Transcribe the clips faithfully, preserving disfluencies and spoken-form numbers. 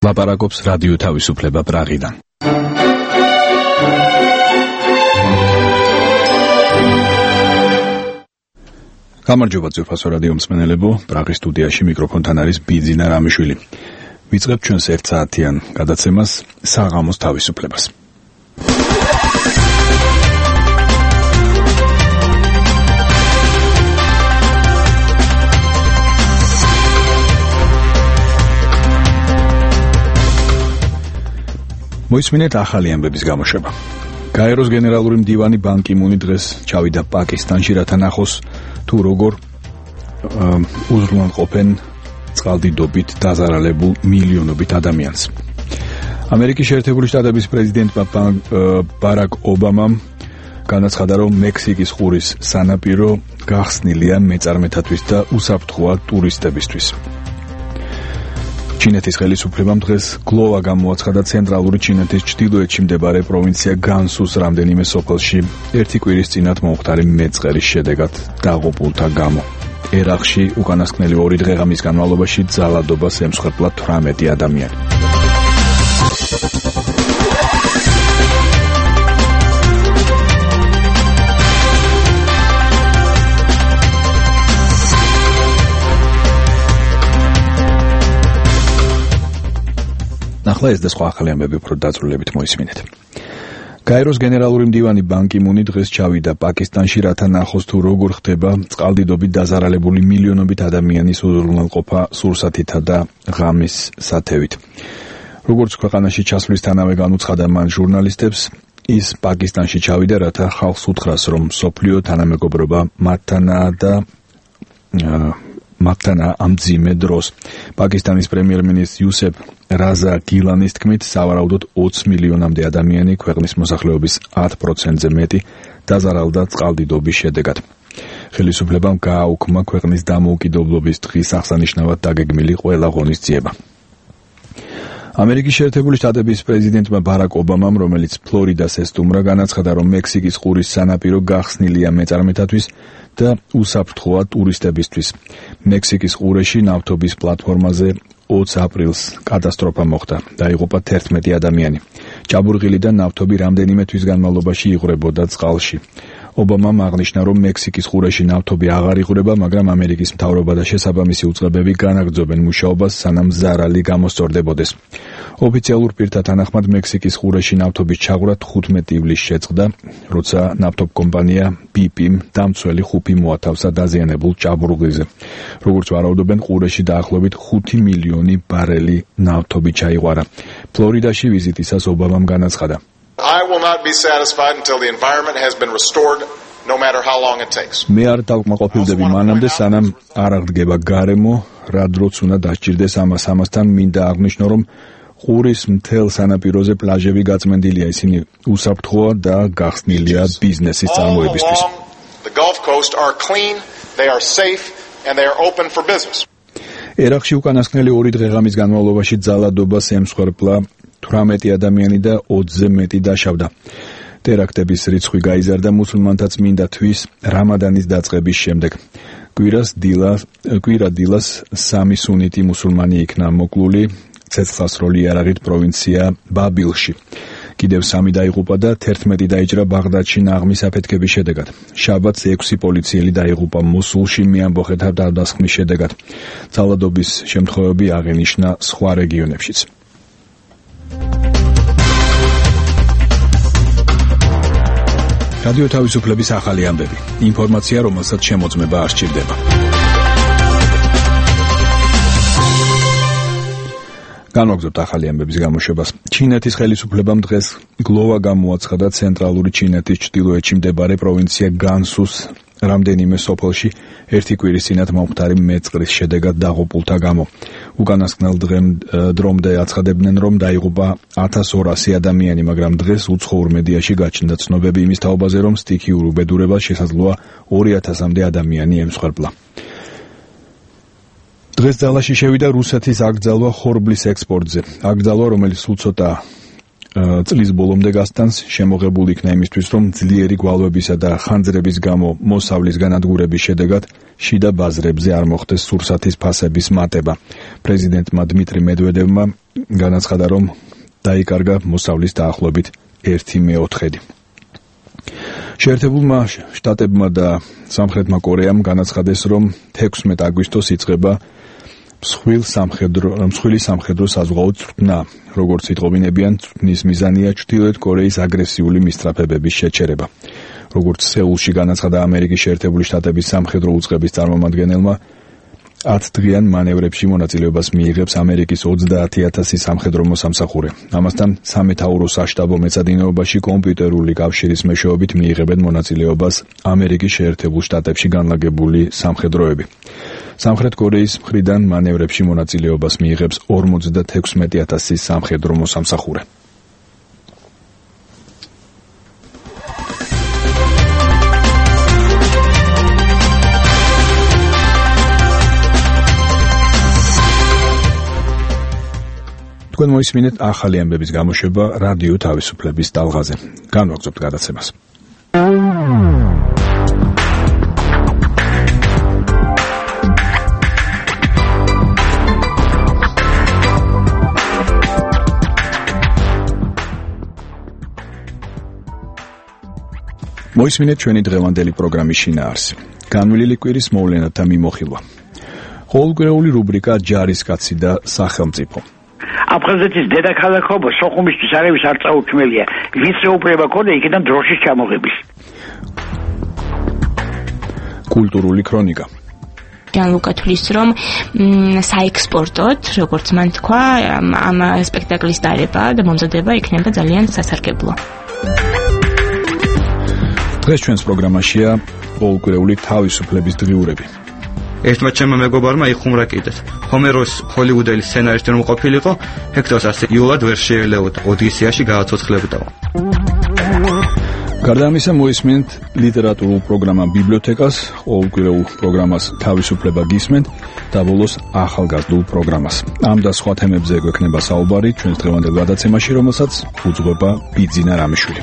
ლაპარაკობს რადიო თავისუფლება პრაღიდან. გამარჯობა ძვირფასო რადიო მსმენელებო, პრაღის სტუდიაში მიკროფონთან არის ბიძინა რამიშვილი. ვიწყებთ ჩვენს ერთ საათიან გადაცემას საღამოს თავისუფლებას. მოისმინეთ ახალი ამბების გამოშვება. გაეროს გენერალური მდივანი ბან კი მუნი დღეს ჩავიდა პაკისტანში, რათა ნახოს თუ როგორ უზრუნველყოფენ წყალდიდობით დაზარალებულ მილიონობით ადამიანს. ამერიკის შეერთებული შტატების პრეზიდენტმა ბარაკ ობამამ განაცხადა, რომ მექსიკის ყურის სანაპირო გახსნილია მეწარმეთათვის და უსაფრთხოა ტურისტებისთვის. ჩინეთის ხელისუფლებამ დღეს გლოვა გამოაცხადა ცენტრალური ჩინეთის ჩრდილოეთში მდებარე პროვინცია განსუს რამდენიმე სოფელში ერთი კვირის წინათ მომხდარი მეწყერის შედეგად დაღუპულთა გამო. ერაყში უკანასკნელი ორი დღე-ღამის განმავლობაში ძალადობას ემსხვერპლა თვრამეტი ადამიანი. ახლა ეს და სხვა ახალი ამბები უფრო დაწვრილებით მოისმინეთ. გაეროს გენერალური მდივანი ბან კი მუნი დღეს ჩავიდა პაკისტანში, რათა ნახოს თუ როგორ ხდება წყალდიდობით დაზარალებული მილიონობით ადამიანის უზრუნველყოფა სურსათითა და ღამის სათევით. როგორც ქვეყანაში ჩასვლისთანავე განუცხადა მან ჟურნალისტებს, ის პაკისტანში ჩავიდა, რათა ხალხს უთხრას, რომ მსოფლიო თანამეგობრობა მათთანაა და მათთანა ამ მძიმე დროს. პაკისტანის პრემიერ-მინისტრი იუსეფ რაზა გილანის თქმით, სავარაუდოდ ოცი მილიონამდე ადამიანი, ქვეყნის მოსახლეობის ათი პროცენტზე მეტი, დაზარალდა წყალდიდობის შედეგად. ხელისუფლებამ გააუქმა ქვეყნის დამოუკიდებლობის დღის აღსანიშნავად დაგეგმილი ყველა ღონისძიება. ამერიკის შეერთებული შტატების პრეზიდენტმა ბარაკ ობამამ, რომელიც ფლორიდას ესტუმრა, განაცხადა, რომ მექსიკის ყურის სანაპირო გახსნილია მეწარმეთათვის და უსაფრთხოა ტურისტებისთვის. მექსიკის ყურეში ნავთობის პლატფორმაზე ოცი აპრილს კატასტროფა მოხდა. დაიღუპა თერთმეტი ადამიანი. ჭაბურღილი და ნავთობი რამდენიმე თვის განმავლობაში იღვრებოდა წყალში. ობამამ აღნიშნა, რომ მექსიკის ყურეში ნავთობი აღარ იღვრება, მაგრამ ამერიკის მთავრობა და შესაბამისი უწყებები განაგრძობენ მუშაობას, სანამ ზარალი გამოსწორდებოდეს. ოფიციალურ პირთა თანახმად მექსიკის ყურეში ნავთობის ჩაღვრა თხუთმეტი ივლისს შეწყდა, როცა ნავთობკომპანია ბი პი-მ დამცველი ხუფი მოათავსა დაზიანებულ ჭაბურღილზე. როგორც ვარაუდობენ, ყურეში დაახლოებით ხუთი მილიონი ბარელი ნავთობი ჩაიღვარა. ფლორიდაში ვიზიტისას ობამამ განაცხადა, I will not be satisfied until the environment has been restored, no matter how long it takes. მე არ დავკმაყოფილდები მანამდე, სანამ არ აღდგება გარემო, რა დროც უნდა დასჭირდეს ამას. ამასთან მინდა აღნიშნო, რომ ყურის მთელ სანაპიროზე პლაჟები გაწმენდილია, ისინი უსაფრთხოა და გახსნილია ბიზნესის წარმოებისთვის. The Gulf Coast are clean, they are safe, and they are open for business. ერაყში უკანასკნელი ორი დღე-ღამის განმავლობაში ძალადობას ემსხვერპლა თვრამეტი ადამიანი და ოცზე მეტი დაშავდა. ტერაქტების რიცხვი გაიზარდა მუსულმანთა წმინდა თვის რამადანის დაწყების შემდეგ. კვირას დილას კვირა დილას სამი სუნიტი მუსულმანი იქნა მოკლული ცეცხლსროლი იარაღით პროვინცია ბაბილში. კიდევ სამი დაიღუპა და თერთმეტი დაიჭრა ბაღდადში ნაღმის აფეთქების შედეგად. შაბათს ექვსი პოლიციელი დაიღუპა მოსულში მეამბოხეთა თავდასხმის შედეგად. ძალადობის შემთხვევები აღინიშნა სხვა რეგიონებშიც. რადიო თავისუფლების ახალი ამბები. ინფორმაცია, რომელსაც შემოწმება არ სჭირდება. განვაგრძობთ ახალი ამბების გამოშვებას. ჩინეთის ხელისუფლებამ დღეს გლოვა გამოაცხადა ცენტრალური ჩინეთის ჩრდილოეთში მდებარე პროვინცია განსუს რამდენიმე სოფელში ერთი კვირის წინათ მომხდარი მეწყრის შედეგად დაღუპულთა გამო. უკანასკნელ დრომდე აცხადებდნენ, რომ დაიღუპა ათას ორასი ადამიანი, მაგრამ დღეს უცხოურ მედიაში გაჩნდა ცნობები იმის თაობაზე, რომ სტიქიურ უბედურებას შესაძლოა ორი ათასამდე ადამიანი ემსხვერპლა. დღეს ძალაში შევიდა რუსეთის აკრძალვა ხორბლის ექსპორტზე. აკრძალვა, რომელიც სულ ცოტა წლის ბოლომდე გასტანს, შემოღებული იქნა იმისთვის, რომ ძლიერი გვალვებისა და ხანძრების გამო მოსავლის განადგურების შედეგად შიდა ბაზრებზე არ მოხდეს სურსათის ფასების მატება. პრეზიდენტმა დმიტრი მედვედევმა განაცხადა, რომ დაიკარგა მოსავლის დაახლოებით ერთი მეოთხედი. შეერთებულმა შტატებმა და სამხრეთმა კორეამ განაცხადეს, რომ თექვსმეტ აგვისტოს იწყება მსხვილი სამხედრო მსხვილი სამხედრო საზღვაო წვრთნა. როგორც იტყობინებიან, წვრთნის მიზანია ჩრდილოეთ კორეის აგრესიული მისწრაფებების შეჩერება. როგორც სეულში განაცხადა ამერიკის შეერთებული შტატების სამხედრო უწყების წარმომადგენელმა, ათდღიან მანევრებში მონაწილეობას მიიღებს ამერიკის ოცდაათი ათასი სამხედრო მოსამსახურე. ამასთან სამეთაურო საშტაბო მეცადინეობაში კომპიუტერული კავშირის მეშვეობით მიიღებენ მონაწილეობას ამერიკის შეერთებულ შტატებში განლაგებული სამხედროები. სამხრეთ კორეის მხრიდან მანევრებში მონაწილეობას მიიღებს ორმოცდათექვსმეტი ათასი სამხედრო მოსამსახურე. თქვენ მოისმინეთ ახალი ამბების გამოშვება რადიო თავისუფლების ტალღაზე. განვაგრძობთ გადაცემას. მოისმინეთ ჩვენი დღევანდელი პროგრამის შინაარსი. განვლილი კვირის მოვლენათა მიმოხილვა. ყოველკვირეული რუბრიკა ჯარისკაცი და სახელმწიფო. აფხაზეთის დედაქალაქობა სოხუმისთვის არავის არ წაუქმელია. ვინც ეუფლება ქონდა იქიდან დროშის ჩამოღების. კულტურული ქრონიკა. განლუკა თვლის, რომ საექსპორტოდ, როგორც მან თქვა, ამ სპექტაკლის დარება და მომზადება იქნება ძალიან სასარგებლო. დღეს ჩვენს პროგრამაშია ყოველკვირეული თავისუფლების დღიურები. ერთმა ჩემმა მეგობარმა იხუმრა კიდეც. ჰომეროს ჰოლივუდელი სცენარისტი რომ ყოფილიყო, ჰექტორს ასე იულად ვერ შეელეოდა, ოდისეაში გააცოცხლებდა. გარდა ამისა მოისმენთ ლიტერატურულ პროგრამა ბიბლიოთეკას, ყოველკვირეულ პროგრამას თავისუფლება გისმენთ და ბოლოს ახალგაზრდულ პროგრამას. ამ და სხვა თემებზე გვექნება საუბარი ჩვენს დღევანდელ გადაცემაში, რომელსაც უძღვება ბიძინა რამიშვილი.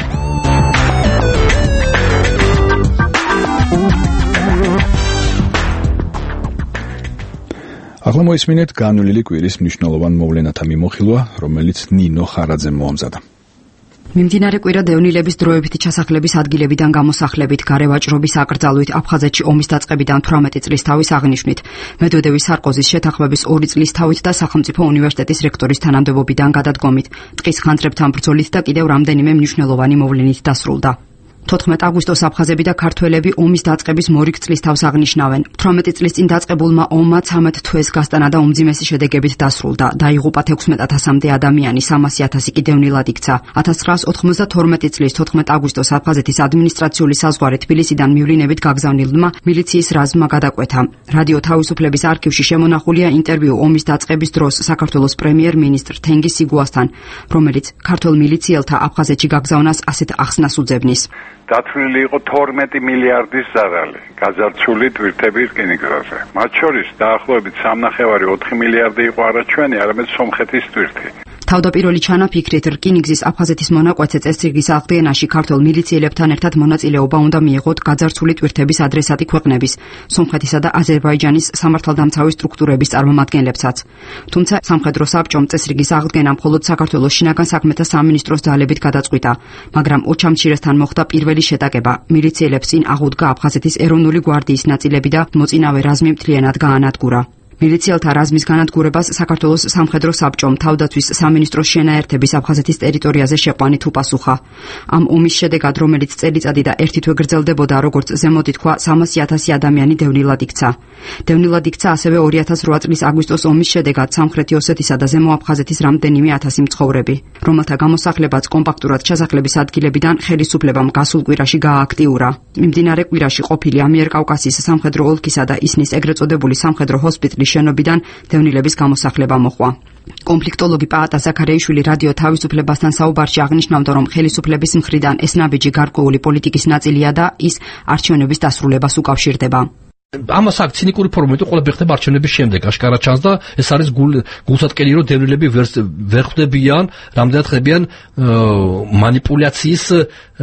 ახლა მოისმინეთ განვლილი კვირის მნიშვნელოვან მოვლენათა მიმოხილვა, რომელიც ნინო ხარაძემ მოამზადა. მიმდინარე კვირა დევნილების დროებითი ჩასახლების ადგილებიდან გამოსახლებით, გარევაჭრობის აკრძალვით, აფხაზეთში ომის დაწყებიდან თვრამეტი წლის თავის აღნიშვნით, მედვედევის სარკოზის შეთანხმების ორი წლის თავით და სახელმწიფო უნივერსიტეტის რექტორის თანამდებობიდან გადადგომით, ტყის ხანძრებთან ბრძოლით და კიდევ რამდენიმე მნიშვნელოვანი მოვლენით დასრულდა. თოთხმეტ აგვისტოს აფხაზები და ქართველები ომის დაწყების მორიგ წლის თავს აღნიშნავენ. თვრამეტი წლის წინ დაწყებულმა ომმა ცამეტ თვეს გასტანა და უმძიმესი შედეგებით დასრულდა. დაიღუპა თექვსმეტ ათასამდე ადამიანი, სამასი ათასი კი დევნილად იქცა. ათას ცხრაას ოთხმოცდათორმეტი წლის თოთხმეტ აგვისტოს აფხაზეთის ადმინისტრაციული საზღვარი თბილისიდან მივლინებით გაგზავნილმა მილიციის რაზმმა გადაკვეთა. რადიო თავისუფლების არქივში შემონახულია ინტერვიუ ომის დაწყების დროს საქართველოს პრემიერ-მინისტრ თენგიზ სიგუასთან, რომელიც ქართველ მილიციელთა აფხაზეთში გაგზავნას ასეთ ახსნას უძებნის. დათვლილი იყო თორმეტი მილიარდის ზარალი გაძარცული თვირთების რკინიგზაზე. მათ შორის დაახლოებით სამნახევარი ოთხი მილიარდი იყო არა ჩვენი, არამედ სომხეთის თვირთი. თავდაპირველი ჩანაფიქრით რკინიგზის აფხაზეთის მონაკვეთზე წესრიგის აღდგენაში ქართველ მილიციელებთან ერთად მონაწილეობა უნდა მიიღოთ გაძარცული თვირთების ადრესატი ქვეყნების, სომხეთისა და აზერბაიჯანის სამართალდამცავი სტრუქტურების წარმომადგენლებსაც. თუმცა სამხედრო საბჭომ წესრიგის აღდგენა მხოლოდ საქართველოს შინაგან საქმეთა სამინისტროს ძალებით გადაწყვიტა, მაგრამ ოჩამჩირესთან მოხდა პირველი შეტაკება. მილიციელებს წინ აღუდგა აფხაზეთის ეროვნული გვარდიის ნაწილები და მოწინავე რაზმი მთლიანად გაანადგურა. მილიციელთა რაზმის განადგურებას საქართველოს სამხედრო საბჭომ თავდაცვის სამინისტროს შენაერთების აფხაზეთის ტერიტორიაზე შეყვანით უპასუხა. ამ ომის შედეგად, რომელიც წელიწადი და ერთი თვე გრძელდებოდა, როგორც ზემოთ ითქვა, სამასი ათასი ადამიანი დევნილად იქცა. დევნილად იქცა ასევე ორი ათას რვა წლის აგვისტოს ომის შედეგად სამხრეთი ოსეთისა და ზემო აფხაზეთის რამდენიმე ათასი მცხოვრები, რომელთა გამოსახლებაც კომპაქტურად ჩასახლების ადგილებიდან ხელისუფლებამ გასულ კვირაში გაააქტიურა. მიმდინარე კვირაში ყოფილი ამიერკავკასიის სამხედრო ოლქისა და ისნის ეგრეთ წოდებული სამხედრო ჰოსპიტალის შენობიდან დევნილების გამოსახლება მოხდა. კონფლიქტოლოგი პაატა ზაქარეიშვილი რადიო თავისუფლებასთან საუბარში აღნიშნავდა, რომ ხელისუფლების მხრიდან ეს ნაბიჯი გარკვეული პოლიტიკის ნაწილია და ის არჩევნების დასრულებას უკავშირდება. ამას აქ ცინიკური ფორმატი ყველაფერი ხდება არჩევნების შემდეგ აშკარა ჩანს და ეს არის გულსატკელი რომ დევნილები ვერ ხვდებიან რამდენად ხდებიან მანიპულაციის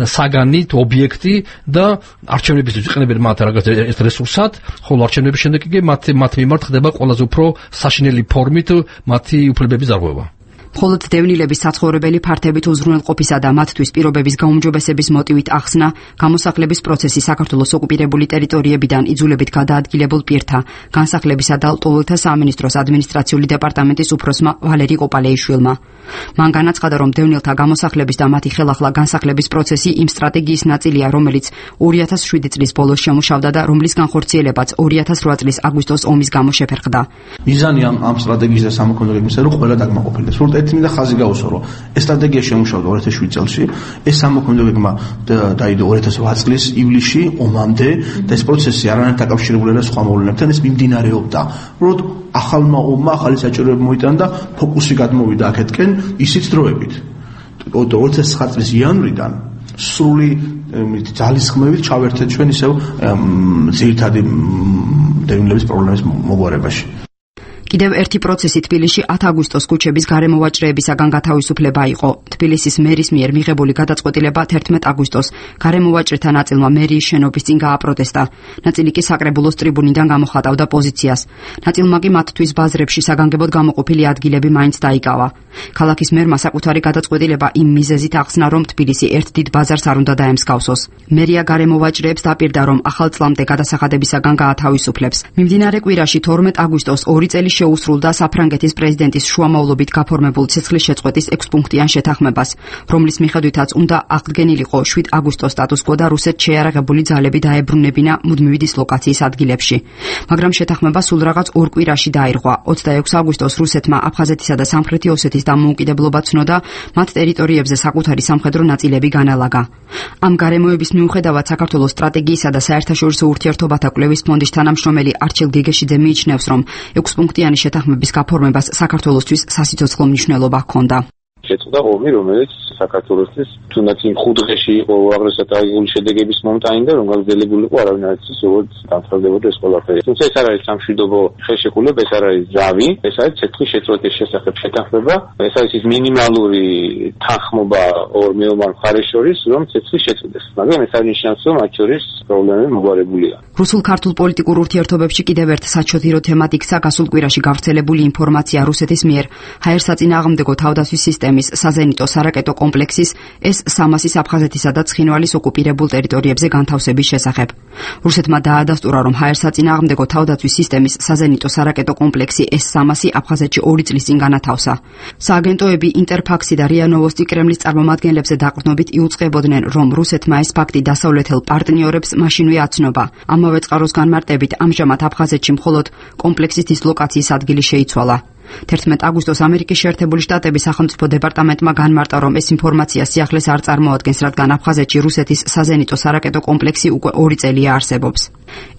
საგანით ობიექტი და არჩევნებისთვის იყენებენ მათ რაღაც ერთ რესურსად ხოლო არჩევნების შემდეგ კი მათ მათ მიმართ ხდება ყველაზე უფრო საშინელი ფორმით მათი უფლებების დარღვევა მხოლოდ დევნილების საცხოვრებელი ფართებით უზრუნველყოფისა და მათთვის პირობების გაუმჯობესების მოტივით ახსნა გამოსახლების პროცესი საქართველოს ოკუპირებული ტერიტორიებიდან იძულებით გადაადგილებულ პირთა განსახლებისა და ლტოლვილთა სამინისტროს ადმინისტრაციული დეპარტამენტის უფროსმა ვალერი ყოპალეიშვილმა მან განაცხადა რომ დევნილთა გამოსახლების და მათი ხელახლა განსახლების პროცესი იმ სტრატეგიის ნაწილია რომელიც ორი ათას შვიდი წლის ბოლოს შემუშავდა და რომლის განხორციელებაც ორი ათას რვა წლის აგვისტოს ომის გამო შეფერხდა მიზანი ამ ამ სტრატეგიის და სამოქმედო გეგმისა რომ ყველა დაგმაყოფილდეს ერთი მინდა ხაზი გაუსვა რომ ეს სტრატეგია შემუშავდა ორი ათას შვიდი წელს ეს სამოქმედო გეგმა დაიდო ორი ათას რვა წლის ივლისში ომამდე და ეს პროცესი არანაირად დაკავშირებული არა სხვა მოვლენებთან ეს მიმდინარეობდა უბრალოდ ახალმა ომმა ახალი საჭიროება მოიტანა და ფოკუსი გადმოვიდა აქეთკენ ისიც დროებით ორი ათას ცხრა წლის იანვრიდან სრული ძალისხმევით ჩავერთეთ ჩვენ ისევ ძირითადი დევნილების პრობლემის მოგვარებაში კიდევ ერთი პროცესი თბილისში ათ აგვისტოს ქუჩების გარემოვაჭრეებისაგან გათავისუფლება იყო. თბილისის მერის მიერ მიღებული გადაწყვეტილება თერთმეტ აგვისტოს გარემოვაჭრეთა ნაწილმა მერიის შენობის წინ გააპროტესტა. ნაწილი კი საკრებულოს ტრიბუნიდან გამოხატავდა პოზიციას. ნაწილმა კი მათთვის ბაზრებში საგანგებოდ გამოყოფილი ადგილები მაინც დაიკავა. ქალაქის მერმა საკუთარი გადაწყვეტილება იმ მიზეზით ახსნა, რომ თბილისი ერთ დიდ ბაზარს არ უნდა დაემსგავსოს. მერია გარემოვაჭრეებს დაპირდა, რომ ახალ წლამდე გადასახადებისაგან გაათავისუფლებს. მიმდინარე კვირაში თორმეტ აგვისტოს ორი წელი შეუსრულდა საფრანგეთის პრეზიდენტის შუამავლობით გაფორმებულ ცეცხლის შეწყვეტის ექვსპუნქტიან შეთანხმებას, რომლის მიხედვითაც უნდა აღდგენილიყო შვიდ აგვისტოს სტატუს-კვო და რუსეთს შეიარაღებული ძალები დაებრუნებინა მუდმივი დისლოკაციის ადგილებში. მაგრამ შეთანხმება სულ რაღაც ორ კვირაში დაირღვა. ოცდაექვსი აგვისტოს რუსეთმა აფხაზეთისა და სამხრეთი ოსეთის დამოუკიდებლობა ცნო და მათ ტერიტორიებზე საკუთარი სამხედრო ნაწილები განალაგა. ამ გარემოების მიუხედავად საქართველოს სტრატეგიისა და საერთაშორისო ურთიერთობათა კვლევის ფონდის თანამშრომელი არჩილ გეგეშიძე მიიჩნევს, რომ ექვსპუნქტიანი შეთანხმების გაფორმებას საქართველოსთვის სასიცოცხლო მნიშვნელობა ჰქონდა. შეწყდა ომი, რომელიც საქართველოსთვის თუნდაც იმ ხუთ დღეში იყო უაღრესად აღებული შედეგების მომტანი და რომ გაგრძელებული იყო არავინ არ იცის როგორც დამთავრდებოდა ეს ყველაფერი. თუმცა ეს არ არის სამშვიდობო ხელშეკრულება, ეს არ არის ძრავი, ეს არის ცეცხლის შეწყვეტის შესახებ შეთანხმება, ეს არის ის მინიმალური თანხმობა ორ მეომარ მხარეს შორის, რომ ცეცხლი შეწყვეტეს. მაგრამ ეს არ ნიშნავს, რომ მათ შორის პრობლემები მოგვარებულია. რუსულ-ქართულ პოლიტიკურ ურთიერთობებში კიდევ ერთ საჩოთირო თემად იქცა გასულ კვირაში გავრცელებული ინფორმაცია რუსეთის მიერ ჰაერსაწინააღმდეგო თავდაცვის სისტემის საზენიტო სარაკეტო კომპლექსის ეს სამასის აფხაზეთისა და ცხინვალის ოკუპირებულ ტერიტორიებზე განთავსების შესახებ. რუსეთმა დაადასტურა, რომ ჰაერსაწინააღმდეგო თავდაცვის სისტემის საზენიტო სარაკეტო კომპლექსი ეს სამასი აფხაზეთში ორი წლის წინ განათავსა. სააგენტოები ინტერფაქსი და რია ნოვოსტი კრემლის წარმომადგენლებზე დაყრდნობით იუწყებოდნენ, რომ რუსეთმა ეს ფაქტი დასავლეთელ პარტნიორებს მაშინვე აცნობა. ამავე წყაროს განმარტებით ამჟამად აფხაზეთში მხოლოდ კომპლექსის დისლოკაციის ადგილი შეიცვალა. თერთმეტ აგვისტოს ამერიკის შეერთებული შტატების სახელმწიფო დეპარტამენტმა განმარტა, რომ ეს ინფორმაცია სიახლეს არ წარმოადგენს, რადგან აფხაზეთში რუსეთის საზენიტო სარაკეტო კომპლექსი უკვე ორი წელია არსებობს.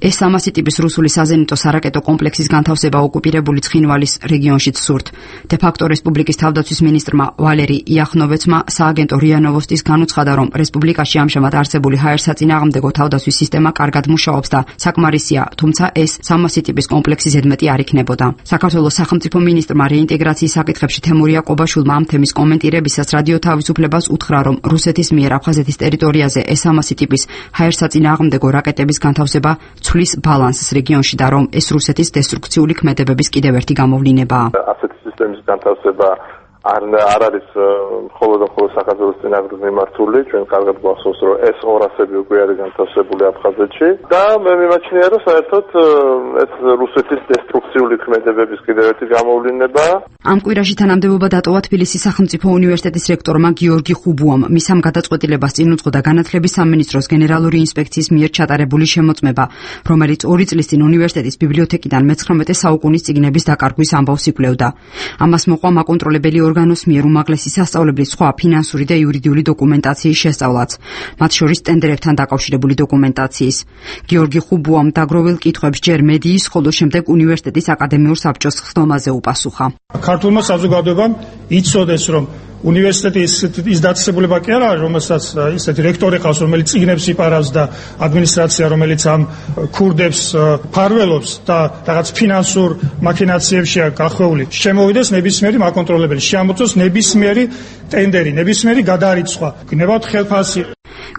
ეს სამასი ტიპის რუსული საზენიტო სარაკეტო კომპლექსის განთავსება ოკუპირებული ცხინვალის რეგიონშიც სურთ. დე-ფაქტო რესპუბლიკის თავდაცვის მინისტრმა ვალერი იახნოვეცმა სააგენტო რია ნოვოსტის განუცხადა, რომ რესპუბლიკაში ამჟამად არსებული ჰაერსაწინააღმდეგო თავდაცვის სისტემა კარგად მუშაობს და საკმარისია, თუმცა ეს სამასი ტიპის კომპლექსი ზედმეტი არ იქნებოდა. საქართველოს სახელმწიფო მინისტრმა რეინტეგრაციის საკითხებში თემური აყობაშვილმა ამ თემის კომენტირებისას რადიო თავისუფლებას უთხრა, რომ რუსეთის მიერ აფხაზეთის ტერიტორიაზე ეს სამასი ტიპის ჰაერსაწინააღმდეგო რაკეტების განთავსება ცვლის ბალანსს რეგიონში და რომ ეს რუსეთის დესტრუქციული ქმედებების კიდევ ერთი გამოვლინებაა. ასეთი სისტემის განთავსება არ არ არის მხოლოდ და მხოლოდ საქართველოს წინააღმდეგ მიმართული, ჩვენ კარგად გვახსოვს, რომ ეს ორასები უკვე არის განთავსებული აფხაზეთში და მე მიმაჩნია, რომ საერთოდ ეს რუსეთის დესტრუქციული ქმედებების კიდევ ერთი გამოვლინებაა. ამ კვირაში თანამდებობა დატოვა თბილისის სახელმწიფო უნივერსიტეტის რექტორმა გიორგი ხუბუამ. მის ამ გადაწყვეტილებას წინ უძღოდა განათლების სამინისტროს გენერალური ინსპექციის მიერ ჩატარებული შემოწმება, რომელიც ორი წლის წინ უნივერსიტეტის ბიბლიოთეკიდან მეცხრამეტე საუკუნის წიგნების დაკარგვის ამბავს იკვლევდა. ამას მოყვა მაკონტროლებელი ორგანოს მიერ უმაღლესი სასწავლებლის სხვა ფინანსური და იურიდიული დოკუმენტაციის შესწავლაც, მათ შორის ტენდერებთან დაკავშირებული დოკუმენტაციის. გიორგი ხუბუამ დაგროვილ კითხვებს ჯერ მედიის, ხოლო შემდეგ უნივერსიტეტის აკადემიურ საბჭოს ხდომაზე უპასუხა. ქართულმა საზოგადოებამ იცოდეს, რომ უნივერსიტეტის ის დაწესებულება კი არა, რომელსაც ისეთი რექტორი ყავს, რომელიც წიგნებს იპარავს და ადმინისტრაცია, რომელიც ამ ქურდებს ფარველობს და რაღაც ფინანსურ მაქინაციებშია გახვეული, შემოვიდეს ნებისმიერი მაკონტროლებელი, შეამოწოს ნებისმიერი ტენდერი, ნებისმიერი გადარიცხვა. გნებავთ ხელფასი.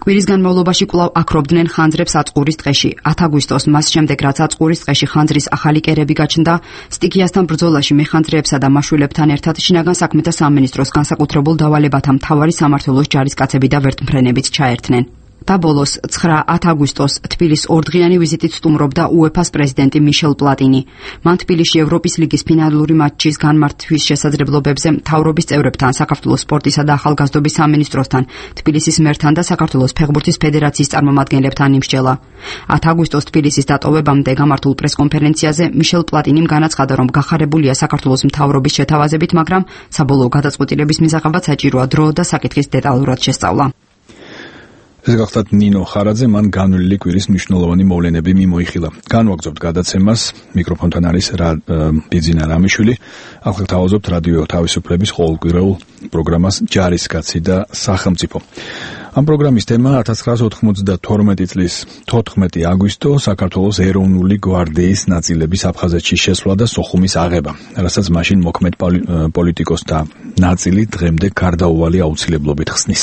კვირის განმავლობაში კვლავ აქრობდნენ ხანძრებს აწყურის ტყეში. ათ აგვისტოს მას შემდეგ, რაც აწყურის ტყეში ხანძრის ახალი კერები გაჩნდა, სტიქიასთან ბრძოლაში მეხანძრეებსა და მაშვილებთან ერთად შინაგან საქმეთა სამინისტროს განსაკუთრებულ დავალებათა მთავარი სამმართველოს ჯარისკაცები და ვერტმფრენებიც ჩაერთნენ. და ბოლოს ცხრა ათ აგვისტოს თბილისის ორდღიანი ვიზიტით სტუმრობდა უეფას პრეზიდენტი მიშელ პლატინი. მან თბილისში ევროპის ლიგის ფინალური მატჩის განმართვის შესაძლებლობებზე მთავრობის წევრებთან, საქართველოს სპორტისა და ახალგაზრდობის სამინისტროსთან, თბილისის მერთან და საქართველოს ფეხბურთის ფედერაციის წარმომადგენლებთან იმსჯელა. ათ აგვისტოს თბილისის დატოვებამდე გამართულ პრესკონფერენციაზე მიშელ პლატინიმ განაცხადა, რომ გახარებულია საქართველოს მთავრობის შეთავაზებით, მაგრამ საბოლოო გადაწყვეტილების მისაღებად საჭიროა დრო და საკითხის დეტალურად შესწავლა. ეს გახლავთ ნინო ხარაძე, მან განვლილი კვირის მნიშვნელოვანი მოვლენები მიმოიხილა. განვაგრძობთ გადაცემას, მიკროფონთან არის ბიძინა რამიშვილი. ახლა თავაზობთ რადიო თავისუფლების ყოველკვირეულ პროგრამას ჯარისკაცი და სახელმწიფო. ამ პროგრამის თემა ათას ცხრაასი ოთხმოცდათორმეტი წლის თოთხმეტი აგვისტო საქართველოს ეროვნული გვარდიის ნაწილების აფხაზეთში შესვლა და სოხუმის აღება, რასაც მაშინ მოქმედ პოლიტიკოსთა ნაწილი დღემდე გარდაუვალი აუცილებლობით ხსნის.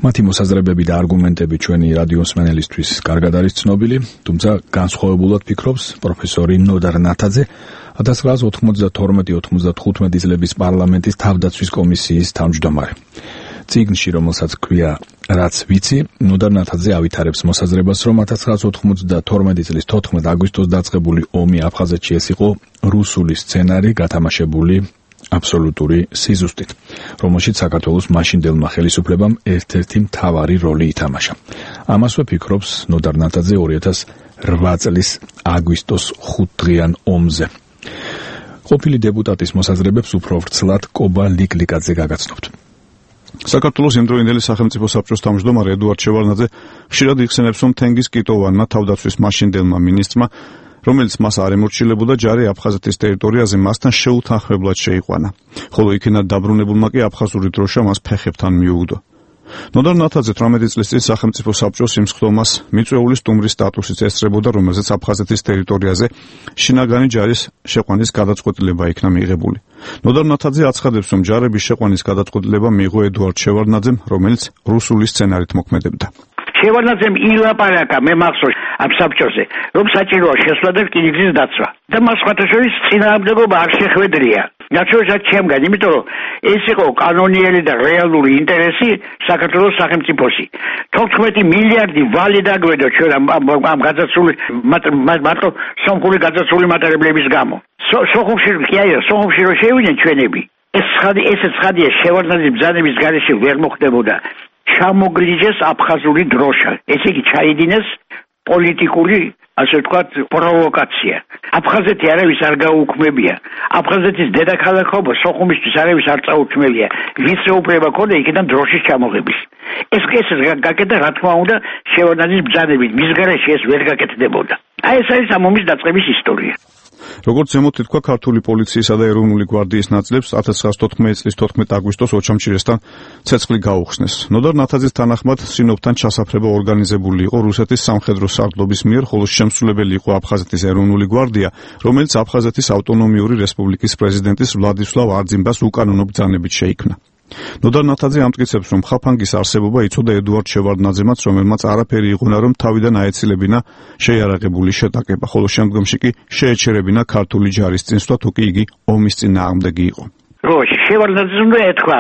მათი მოსაზრებები და არგუმენტები ჩვენი რადიოსმენელისთვის კარგად არის ცნობილი, თუმცა განსხვავებულად ფიქრობს პროფესორი ნოდარ ნათაძე, ათას ცხრაასი ოთხმოცდათორმეტი ოთხმოცდათხუთმეტი წლების პარლამენტის თავდაცვის კომისიის თავმჯდომარე. წიგნში, რომელსაც ქვია რაც ვიცი, ნოდარ ნათაძე ავითარებს მოსაზრებას, რომ ათას ცხრაასი ოთხმოცდათორმეტი წლის თოთხმეტი აგვისტოს დაწყებული ომი აფხაზეთში ეს იყო რუსული სცენარი, გათამაშებული აბსოლუტური სიზუსტით, რომელშიც საქართველოს მაშინდელმა ხელისუფლებამ ერთ-ერთი მთავარი როლი ითამაშა. ამასვე ფიქრობს ნოდარ ნათაძე ორი ათას რვა წლის აგვისტოს ხუთდღიან ომზე. ყოფილი დეპუტატის მოსაზრებებს უფრო ვრცლად კობა ლიკლიკაძე გაგაცნობთ. საქართველოს იმდროინდელი სახელმწიფო საბჭოს თავმჯდომარე ედუარდ შევარდნაძე ხშირად იხსენებს, რომ თენგიზ კიტოვანმა თავდაცვის მაშინდელმა მინისტრმა, რომელიც მას არ ემორჩილებოდა, ჯარი აფხაზეთის ტერიტორიაზე მასთან შეუთანხმებლად შეიყვანა, ხოლო იქიდან დაბრუნებულმა კი აფხაზური დროშა მას ფეხებთან მიუგდო. ნოდარ ნათაძე თვრამეტი წლის წინ სახელმწიფო საბჭოს იმსხდომას მიწვეული სტუმრის სტატუსით ესწრებოდა, რომელზეც აფხაზეთის ტერიტორიაზე შინაგანი ჯარის შეყვანის გადაწყვეტილება იქნა მიღებული. ნოდარ ნათაძე აცხადებს, რომ ჯარების შეყვანის გადაწყვეტილება მიიღო ედუარდ შევარდნაძემ, რომელიც რუსული სცენარით მოქმედებდა. შევარდნაძემ ილაპარაკა მე მახსოვს ამ საბჭოზე, რომ საჭიროა შესვლა და რკინიგზის დაცვა. და მას სხვათა შორის წინააღმდეგობა არ შეხვედრია. ნაცნობად ჩემგან, იმიტომ რომ ეს იყო კანონიერი და რეალური ინტერესი საქართველოს სახელმწიფოსი. თოთხმეტი მილიარდი ვალი დაგვედო ჩვენ ამ გაძაცული მარტო სომხური გაძაცული მატარებლების გამო. სოხუმში კი არა, სოხუმში რო შევიდნენ ჩვენები. ეს ცხადი, ესეც ცხადია, შევარდნაძის ბრძანების გარეშე ვერ მოხდებოდა. ჩამოგლიჯეს აფხაზური დროშა. ესე იგი ჩაიდინეს პოლიტიკური, ასე ვთქვათ, პროვოკაცია. აფხაზეთი არავის არ გაუქმებია. აფხაზეთის დედაქალაქობა სოხუმისთვის არავის არ წაუქმებია. ვისე უფლება ქონდა იქიდან დროშის ჩამოღების. ეს ეს გაკეთდა, რა თქმა უნდა, შევარდნაძის ბრძანებით. მის გარეშე ეს ვერ გაკეთდებოდა. აი ეს არის ამ ომის დაწყების ისტორია. როგორც ზემოთ თქვა, ქართული პოლიციისა და ეროვნული გვარდიის ნაწილებს ათას ცხრაასი თოთხმეტი წლის თოთხმეტი აგვისტოს ოჩამჭირესთან ცეცხლი გაუხსნეს. ნოდარ ნათაძის თანახმად სინოპთან ჩასაფრება ორგანიზებული იყო რუსეთის სამხედრო სარდლობის მიერ, ხოლო შემსრულებელი იყო აფხაზეთის ეროვნული გვარდია, რომელიც აფხაზეთის ავტონომიური რესპუბლიკის პრეზიდენტის ვლადისლავ არძიმბას უკანონო ბრძანებით შეიქმნა. ნოდარ ნათაძე ამტკიცებს, რომ ხაფანგის არსებობა იცოდა ედუარდ შევარდნაძემაც, რომელმაც არაფერი იღონა, რომ თავიდან აეცილებინა შეიარაღებული შეტაკება, ხოლო შემდგომში კი შეეჩერებინა ქართული ჯარის წინსვლა, თუ კი იგი ომის წინააღმდეგი იყო. რო შევარდნაძემ უნდა ეთქვა,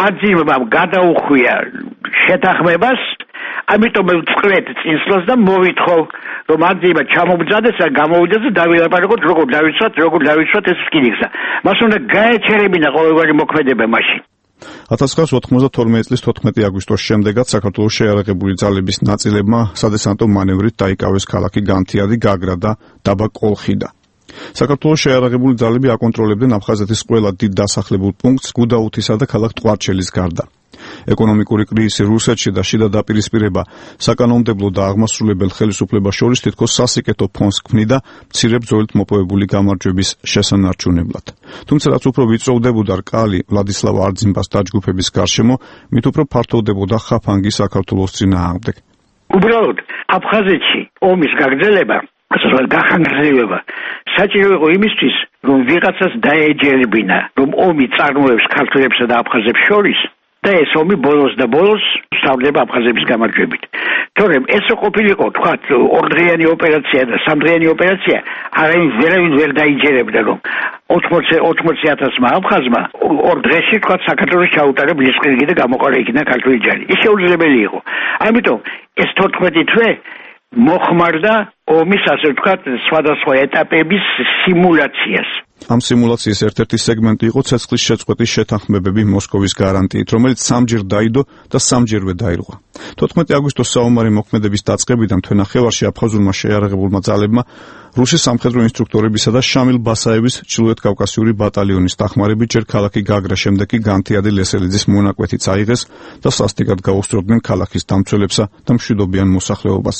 არძიმბამ გადაუხვია შეთანხმებას, ამიტომ ვწყვეტ წინსვლას და მოვითხოვ, რომ არძიმბა ჩამობძანდეს და გამოვიდეს და დავილაპარაკოთ, როგორ დავიცვათ, როგორ დავიცვათ ეს რკინიგზა. მას უნდა გაეჩერებინა ყოველგვარი მოქმედება მაშინ. ათას ცხრაასი ოთხმოცდათორმეტი წლის თოთხმეტი აგვისტოს შემდეგაც საქართველოს შეიარაღებული ძალების ნაწილებმა სადესანტო მანევრით დაიკავეს ქალაქი განთიადი, გაგრა და დაბა კოლხიდა. საქართველოს შეიარაღებული ძალები აკონტროლებდნენ აფხაზეთის ყველა დიდ დასახლებულ პუნქტს გუდაუთისა და ქალაქ ტყვარჩელის გარდა. ეკონომიკური კრიზისი რუსეთში და შიდა დაპირისპირება საკანონმდებლო და აღმასრულებელ ხელისუფლებას შორის თითქოს სასიკეთო ფონს ქმნიდა მცირე ბრძოლით მოპოვებული გამარჯვების შესანარჩუნებლად. თუმცა რაც უფრო ვიწროვდებოდა რკალი ვლადისლავ არძიმბას დაჯგუფების გარშემო, მით უფრო ფართოვდებოდა ხაფანგი საქართველოს წინააღმდეგ. უბრალოდ აფხაზეთში ომის გაგრძელება, ასე გახანგრძლივება საჭირო იყო იმისთვის, რომ ვიღაცას დაეჯერებინა, რომ ომი წარმოებს ქართველებსა და აფხაზებს შორის და ეს ომი ბოლოს და ბოლოს სწავლება აფხაზების გამარჯვებით. თორემ ეს ყოფილიყო, თქვათ, ორდღიანი ოპერაცია და სამდღიანი ოპერაცია, არავინ ვერავინ ვერ დაიჯერებდა, რომ ოთხმოცი ათასმა აფხაზმა ორ დღეში, თქვათ, საქართველოს ჩაუტარა ბლიცკრიგი და გამოყარა იქიდან ქართული ჯარი. ის შეუძლებელი იყო. ამიტომ ეს თოთხმეტი თვე მოხმარდა ომის, ასე ვთქვათ, სხვადასხვა ეტაპების სიმულაციას. ამ სიმულაციის ერთ-ერთი სეგმენტი იყო ცეცხლის შეწყვეტის შეთანხმებები მოსკოვის გარანტიით, რომელიც სამჯერ დაიდო და სამჯერვე დაირღვა. თოთხმეტი აგვისტოს საომარი მოქმედების დაწყებიდან თვენახევარში აფხაზურმა შეიარაღებულმა ძალებმა რუსი სამხედრო ინსტრუქტორებისა და შამილ ბასაევის ჩრდილოეთ კავკასიური ბატალიონის დახმარებით ჯერ ქალაქი გაგრა, შემდეგ კი განთიადი ლესელიძის მონაკვეთიც აიღეს და სასტიკად გაუსწრებდნენ ქალაქის დამცველებსა და მშვიდობიან მოსახლეობას.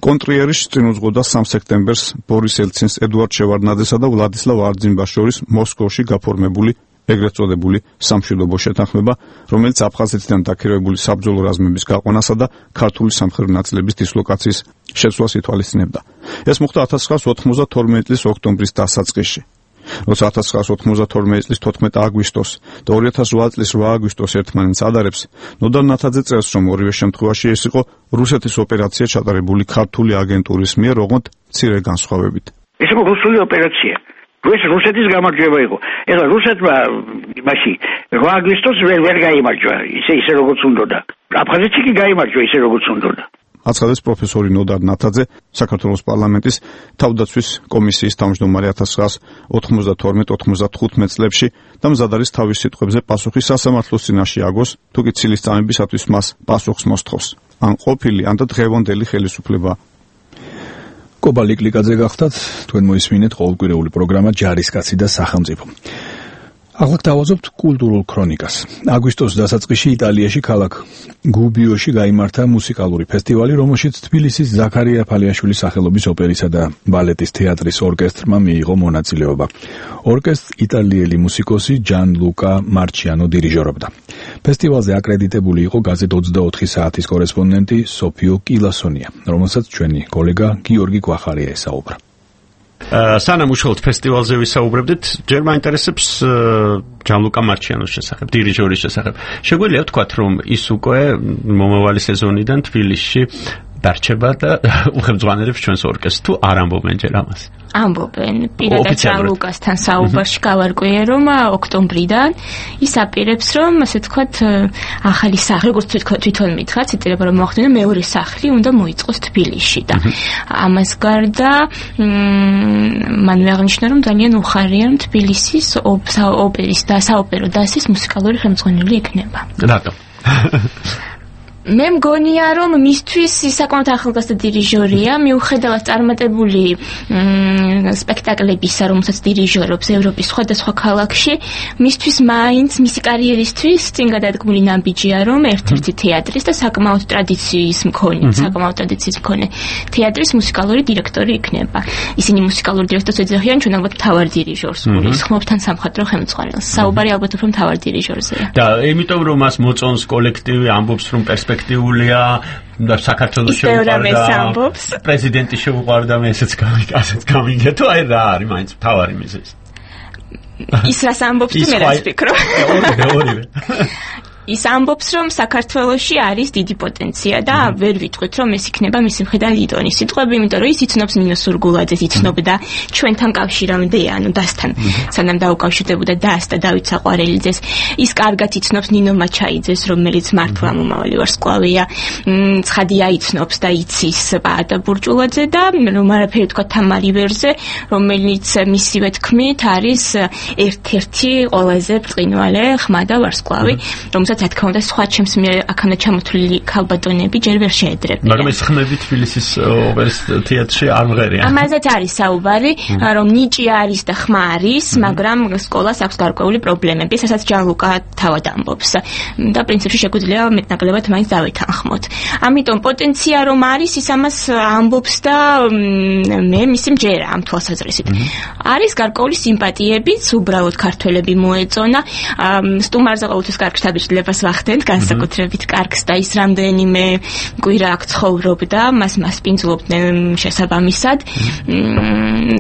კონტრიერის წინ უძღოდა სამ სექტემბერს ბორის ელცინს, ედუარდ შევარდნაძესა და ვლადისლავ არძიმბას შორის მოსკოვში გაფორმებული ეგრეთ წოდებული სამშვიდობო შეთანხმება, რომელიც აფხაზეთიდან დაქირავებული საბრძოლო რაზმების გაყვანასა და ქართული სამხედრო ნაწილების დისლოკაციის შეცვლას ითვალისწინებდა. ეს მოხდა ათას ცხრაას ოთხმოცდათორმეტი წლის ოქტომბრის დასაწყისში. როცა ათას ცხრაას ოთხმოცდათორმეტი წლის თოთხმეტი აგვისტოს და ორი ათას რვა წლის რვა აგვისტოს ერთმანეთს ადარებს, ნოდარ ნათაძე წერს, რომ ორივე შემთხვევაში ეს იყო რუსეთის ოპერაცია ჩატარებული ქართული აგენტურის მიერ, ოღონდ მცირე განსხვავებით. ეს იყო რუსული ოპერაცია. ეს რუსეთის გამარჯვება იყო. ეხლა რუსეთმა მაშინ რვა აგვისტოს ვერ ვერ გაიმარჯვა, ისე ისე როგორც უნდოდა. აფხაზეთში კი გაიმარჯვა ისე როგორც უნდოდა. აცხადებს პროფესორი ნოდარ ნათაძე, საქართველოს პარლამენტის თავდაცვის კომისიის თავმჯდომარე ათას ცხრაას ოთხმოცდათორმეტ ოთხმოცდათხუთმეტ წლებში და მზად არის თავის სიტყვებზე პასუხი სასამართლოს წინაშე აგოს, თუ კი ცილის წამებისათვის მას პასუხს მოსთხოვს. ან ყოფილი, ან და დღევანდელი ხელისუფლება. კობა ლიკლიკაძე გახდათ, თქვენ მოისმინეთ ყოველკვირეული პროგრამა ჯარისკაცი და სახელმწიფო. ახლა გავაზობთ კულტურულ ქრონიკას. აგვისტოს დასაწყისში იტალიაში ქალაქ გუბიოში გაიმართა მუსიკალური ფესტივალი, რომელშიც თბილისის ზაქარია ფალიაშვილის სახელობის ოპერისა და ბალეტის თეატრის ორკესტრმა მიიღო მონაწილეობა. ორკესტრს იტალიელი მუსიკოსი ჯან ლუკა მარჩიანო დირიჟორობდა. ფესტივალზე აკრედიტებული იყო გაზეთ ოცდაოთხი საათის კორესპონდენტი სოფიო კილასონია, რომელსაც ჩვენი კოლეგა გიორგი გვახარია ესაუბრა. სანამ უშუალოდ ფესტივალზე ვისაუბრებდით, ჯერ მაინტერესებს ჯანლუკა მარჩიანოს შესახებ, დირიჟორის შესახებ. შეგვიძლია ვთქვათ, რომ ის უკვე მომავალი სეზონიდან თბილისში დარჩება და უხელმძღვანელებს ჩვენს ორკესტრს, თუ არ ამბობენ ჯერ ამას? ამბობენ. პირადად ჯანლუკასთან საუბარში გავარკვიე, რომ ოქტომბრიდან ის აპირებს, რომ ასე ვთქვათ, ახალი სახლი, როგორც თვითონ მითხრა, ციტირება რომ მოახდინა მეორე სახლი უნდა მოიწყოს თბილისში და ამას გარდა მან აღნიშნა, რომ ძალიან უხარია, რომ თბილისის ოპერის და საოპერო დასის მუსიკალური ხელმძღვანელი იქნება. რატომ? მე მგონია, რომ მისთვის საკმაოდ ახალგაზრდა დირიჟორია, მიუხედავად წარმატებული სპექტაკლებისა, რომელსაც დირიჟორობს ევროპის სხვადასხვა ქალაქში, მისთვის მაინც მისი კარიერისთვის წინ გადადგმული ნაბიჯია, რომ ერთ-ერთი თეატრის და საკმაოდ ტრადიციის მქონე, საკმაოდ ტრადიციის მქონე თეატრის მუსიკალური დირექტორი იქნება. ისინი მუსიკალურ დირექტორს ეძახიან, ჩვენ ალბათ მთავარ დირიჟორს, გულისხმობთ თან სამხატვრო ხელმძღვანელს. საუბარი ალბათ უფრო მთავარ დირიჟორზეა. და იმიტომ რომ მას მოწონს კოლექტივი, ამბობს რომ პერსპექტიულია და საქართველოს შეუყვარდა, პრეზიდენტი შეუყვარდა, მე ესეც გამიგასეთ გამიგე თუ აი რა არის მაინც მთავარი მიზეზი. ის რას ამბობს თუ მე რას ვფიქრობ? ორივე, ორივე. ის ამბობს, რომ საქართველოში არის დიდი პოტენცია და ვერ ვიტყვით, რომ ეს იქნება მისი მხრიდან ლიდონის სიტყვები, იმიტომ რომ ის იცნობს ნინო სურგულაძეს, იცნობდა ჩვენთან კავშირამდე, ანუ დასთან, სანამ დაუკავშირდებოდა დას და დავით საყვარელიძეს. ის კარგად იცნობს ნინო მაჩაიძეს, რომელიც მართლა მომავალი ვარსკვლავია. ცხადია იცნობს და იცის პაატა ბურჭულაძე და რომ არაფერი თქვა თამარი ვერზე, რომელიც მისივე თქმით არის ერთ-ერთი ყველაზე ბრწყინვალე ხმა და ვარსკვლავი, რომელსაც რა თქმა უნდა სხვა ჩემს მიერ აქამდე ჩამოთვლილი ქალბატონები ჯერ ვერ შეედრებიან. მაგრამ ეს ხმები თბილისის ოპერის თეატრში არ მღერიან. ამაზეც არის საუბარი, რომ ნიჭი არის და ხმა არის, მაგრამ სკოლას აქვს გარკვეული პრობლემები, რასაც ჯანლუკა თავად ამბობს. და პრინციპში შეგვიძლია მეტნაკლებად მაინც დავითანხმოთ. ამიტომ პოტენცია რომ არის, ის ამას ამბობს და მე მისი მჯერა ამ თვალსაზრისით. არის გარკვეული სიმპათიებიც, უბრალოდ ქართველები მოეწონა. სტუმარზე ყოველთვის კარგ შთაბეჭდილებას ვახდენთ, განსაკუთრებით კარგს და ის რამდენიმე კვირა აქ ცხოვრობდა, მას მასპინძლობდნენ შესაბამისად.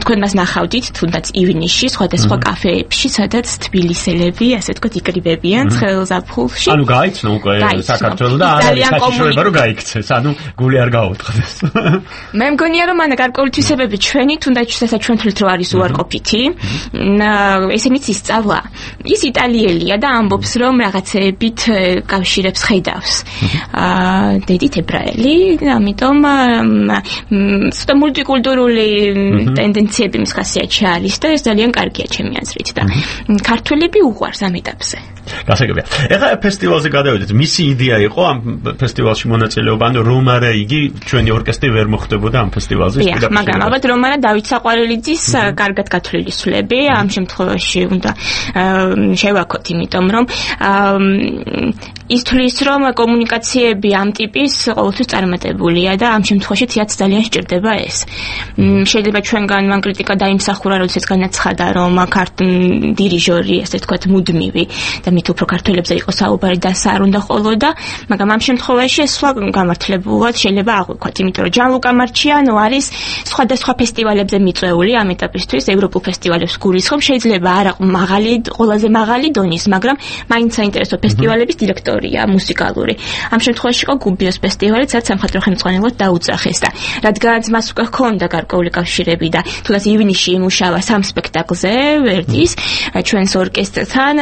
თქვენ მას ნახავდით თუნდაც ივნისში სხვადასხვა კაფეებში, სადაც თბილისელები, ასე ვთქვათ, იკრიბებიან ცხელზაფხულში. ანუ გაიცნო უკვე საქართველოს და არ არის საშიშროება რომ გაიქცეს, ანუ გული არ გაუთხდეს. მე მგონია რომ ანა გარკვეული თვისებები ჩვენი თუნდაც შესაძლოა ჩვენ თვლით რომ არის უარყოფითი. ესენიც ისწავლა. ის იტალიელია და ამბობს რომ რაღაცეებით კავშირებს ხედავს. აა დედით ებრაელი, ამიტომ ცოტა მულტიკულტურული ტენდენციები მის ხასიათში არის და ეს ძალიან კარგია ჩემი აზრით და ქართველები უყვარს ამ ეტაპზე. გასაგებია. ეხლა ფესტივალზე გადავიდეთ. მისი იდეა იყო ამ ფესტივალში მონაწილეობა, ანუ რომ არა იგი ჩვენი ორკესტრი ვერ მოხდებოდა ამ ფესტივალზე. დიახ, მაგრამ ალბათ რომ არა დავით საყვარელიძის კარგად გათვლილი სულები ამ შემთხვევაში უნდა შევაქოთ, იმიტომ რომ ის თვლის რომ კომუნიკაციები ამ ტიპის ყოველთვის წარმატებულია და ამ შემთხვევაში თეატრს ძალიან სჭირდება ეს. შეიძლება ჩვენგან მან კრიტიკა დაიმსახურა, როდესაც განაცხადა რომ დირიჟორი, ასე ვთქვათ, მუდმივი და მით უფრო ქართველებზე იყო საუბარი და სა არ უნდა ყოლოდა, მაგრამ ამ შემთხვევაში ეს სხვა გამართლებულად შეიძლება აღვიქვათ, იმიტომ რომ ჯანლუკა მარჩიანო არის სხვადასხვა ფესტივალებზე მიწვეული ამ ეტაპისთვის, ევროპულ ფესტივალებს გულისხმობ, შეიძლება არა მაღალი, ყველაზე მაღალი დონის, მაგრამ მაინც საინტერესო ფესტივალების დირექტორია მუსიკალური. ამ შემთხვევაში იყო გუბიოს ფესტივალი, სადაც სამხატვრო ხელმძღვანელად დაუძახეს და რადგანაც მას უკვე ჰქონდა გარკვეული კავშირები და თუნდაც ივნისში იმუშავა სამ სპექტაკლზე ვერდის, ჩვენს ორკესტრთან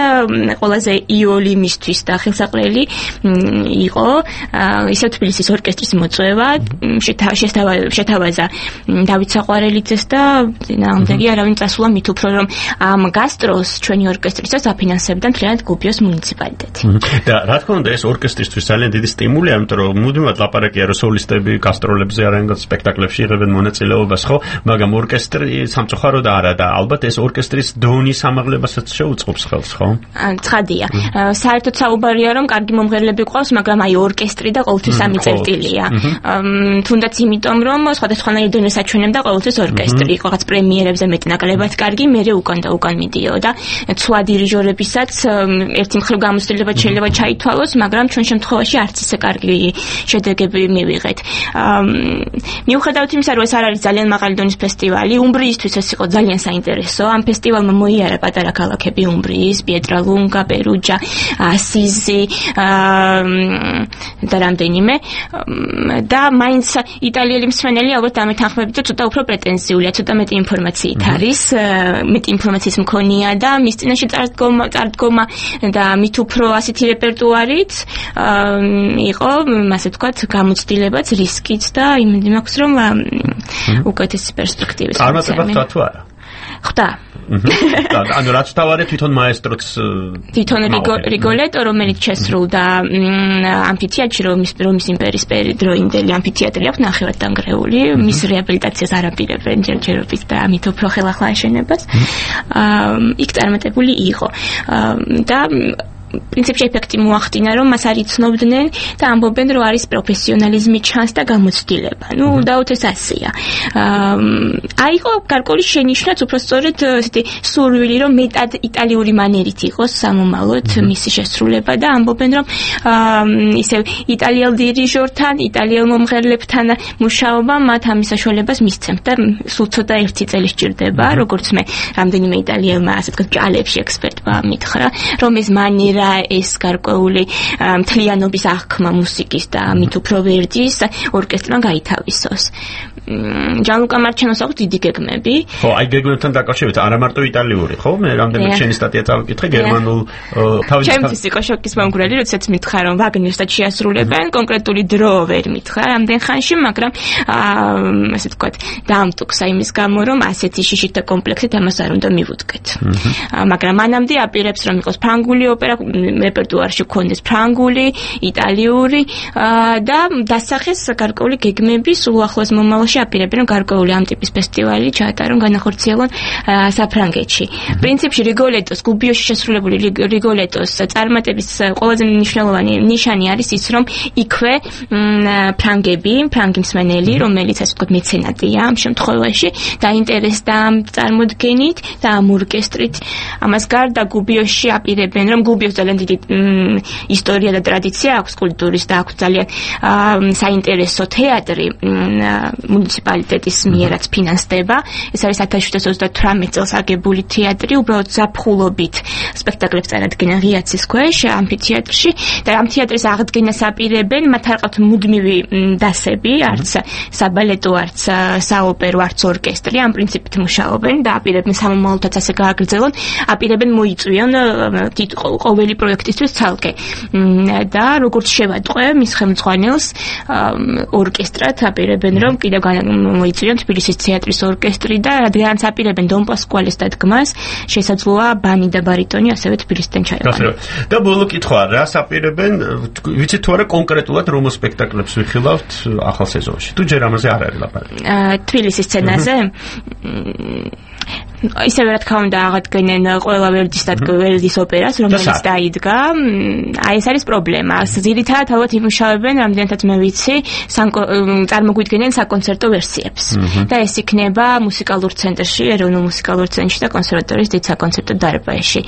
ყველაზე იოლიმისთვის და ხელსაყრელი იყო ისე თბილისის ორკესტრის მოწვევა, შეთავაზა დავით საყვარელიძეს და ნამდვილი არავინ წასულა მით უფრო რომ ამ გასტროლს ჩვენი ორკესტრისას აფინანსებდა მთლიანად გუბიოს მუნიციპალიტეტი. და რა თქმა უნდა ეს ორკესტრისთვის ძალიან დიდი სტიმულია, იმიტომ რომ მუდმივად ლაპარაკია რომ სოლისტები გასტროლებზე არიან სპექტაკლებში იღებენ მონაწილეობას, ხო? მაგრამ ორკესტრი სამწუხაროდ არა და ალბათ ეს ორკესტრის დონის ამაღლებასაც შეუწყობს ხელს, ხო? ცხადია. საერთოდ საუბარია რომ კარგი მომღერლები ყავს, მაგრამ აი ორკესტრი და ყოველთვის სამი წერტილია. თუნდაც იმიტომ რომ სხვადასხვანაირი დონეს აჩვენებდა ყოველთვის ორკესტრი. იყო რაღაც პრემიერებზე მეტნაკლებად კარგი, მერე უკან და უკან მიდიოდა. ცვა დირიჟორებისაც ერთი მხრივ გამოცდილებად შეიძლება ჩაითვალოს, მაგრამ ჩვენ შემთხვევაში არც ისე კარგი შედეგები მივიღეთ. მიუხედავად იმისა, რომ ეს არ არის ძალიან მაღალი დონის ფესტივალი, უმბრიისთვის ეს იყო ძალიან საინტერესო. ამ ფესტივალმა მოიარა პატარა ქალაქები უმბრიის, პიეტრალუნგა, პერუჯა, ასიზი და რამდენიმე და მაინც იტალიელი მსმენელი ალბათ ამეთანხმებით, რომ ცოტა უფრო პრეტენზიულია, ცოტა მეტი ინფორმაციით არის, მეტი ინფორმაციის მქონია და მის წინაშე წარდგომა, წარდგომა და მით უფრო ასეთი რეპერტუარით იყო, ასე ვთქვათ, გამოცდილებაც, რისკიც და იმედი მაქვს, რომ უკეთესი პერსპექტივის. წარმატება თუ არა? ხდა. ანუ რაც თავარი თვითონ მაესტროც თვითონ რიგოლეტო, რომელიც შესრულდა ამფითეატრში, რომის რომის იმპერიის დროინდელი ამფითეატრი აქვს ნახევრად დანგრეული, მის რეაბილიტაციას არაპირებენ ჯერჯერობით და ამით უფრო ხელახლა აშენებას. იქ წარმატებული იყო. და პრინციპში ეფექტი მოახდინა, რომ მას არ იცნობდნენ და ამბობენ, რომ არის პროფესიონალიზმი ჩანს და გამოცდილება. ნუ დაუთ ეს ასია. აიყო გარკვეული შენიშვნაც, უფრო სწორედ ესეთი სურვილი, რომ მეტად იტალიური მანერით იყოს სამომავლოდ მისი შესრულება და ამბობენ, რომ ისე იტალიელ დირიჟორთან, იტალიელ მომღერლებთან მუშაობა მათ ამის საშუალებას მისცემთ და სულ ცოტა ერთი წელი სჭირდება, როგორც მე რამდენიმე იტალიელმა, ასე ვთქვათ, ჭალებში ექსპერტმა მითხრა, რომ ეს მანერა ეს გარკვეული მთლიანობის აღქმა მუსიკის და მით უფრო ვერდის ორკესტრმა გაითავისოს. ჯანლუკა მარჩენოს აქვს დიდი გეგმები. ხო, აი გეგმებთან დაკავშირებით არა მარტო იტალიური, ხო? მე რამდენად შენი სტატია წავიკითხე გერმანულ თავის ჩემთვის იყო შოკის მომგვრელი, როდესაც მითხრა რომ ვაგნერსთან შეასრულებენ, კონკრეტული დრო ვერ მითხრა რამდენ ხანში, მაგრამ ასე ვთქვათ, დაამტკცა იმის გამო, რომ ასეთი შიშით და კომპლექსით ამას არ უნდა მივუდგეთ. მაგრამ მანამდე აპირებს რომ იყოს ფრანგული ოპერა, რეპერტუარში გქონდეს ფრანგული, იტალიური და დასახეს გარკვეული გეგმები, სულ ახლოს მომავალში აპირებენ რომ გარკვეული ამ ტიპის ფესტივალი ჩაატარონ, განახორციელონ საფრანგეთში. პრინციპში რიგოლეტოს გუბიოში შესრულებული რიგოლეტოს წარმატების ყველაზე მნიშვნელოვანი ნიშანი არის ის, რომ იქვე ფრანგები, ფრანგი მსმენელი, რომელიც ასე ვთქვათ მეცენატია ამ შემთხვევაში, დაინტერესდა ამ წარმოდგენით და ამ ორკესტრით. ამას გარდა გუბიოში აპირებენ, რომ გუბიოს ძალიან დიდი ისტორია და ტრადიცია აქვს კულტურის და აქვს ძალიან საინტერესო თეატრი მუნიციპალიტეტის მიერაც ფინანსდება. ეს არის ათას შვიდსათ ოცდათვრამეტ წელს აგებული თეატრი, უბრალოდ ზაფხულობით სპექტაკლებს წარადგენენ ღიაცის ქვეშ ამფითეატრში და ამ თეატრის აღდგენას აპირებენ, მათ არ ყავთ მუდმივი დასები, არც საბალეტო, არც საოპერო, არც ორკესტრი, ამ პრინციპით მუშაობენ და აპირებენ სამომავლოდაც ასე გააგრძელონ, აპირებენ მოიწვიონ ყოველი პროექტისთვის ცალკე და როგორც შევატყვე მის ხელმძღვანელს ორკესტრად აპირებენ რომ კიდევ მოიწვიონ თბილისის თეატრის ორკესტრი და რადგანაც აპირებენ დონ პასკუალეს დადგმას, შესაძლოა ბანი და ბარიტონი ასევე თბილისიდან ჩაეყვანონ. და ბოლო კითხვა, რას აპირებენ, ვიცით თუ არა კონკრეტულად რომ სპექტაკლებს ვიხილავთ ახალ სეზონში? თუ ჯერ ამაზე არ არის ლაპარაკი. თბილისის სცენაზე ისევე რა თქმა უნდა აღადგენენ ყველა ვერდის და ვერდის ოპერას, რომელიც დაიდგა. აი ეს არის პრობლემა. ძირითადად ალბათ იმუშავებენ, რამდენადაც მე ვიცი, წარმოგვიდგენენ საკონცერტო ვერსიებს. და ეს იქნება მუსიკალურ ცენტრში, ეროვნულ მუსიკალურ ცენტრში და კონსერვატორიის დიდ საკონცერტო დარბაზში.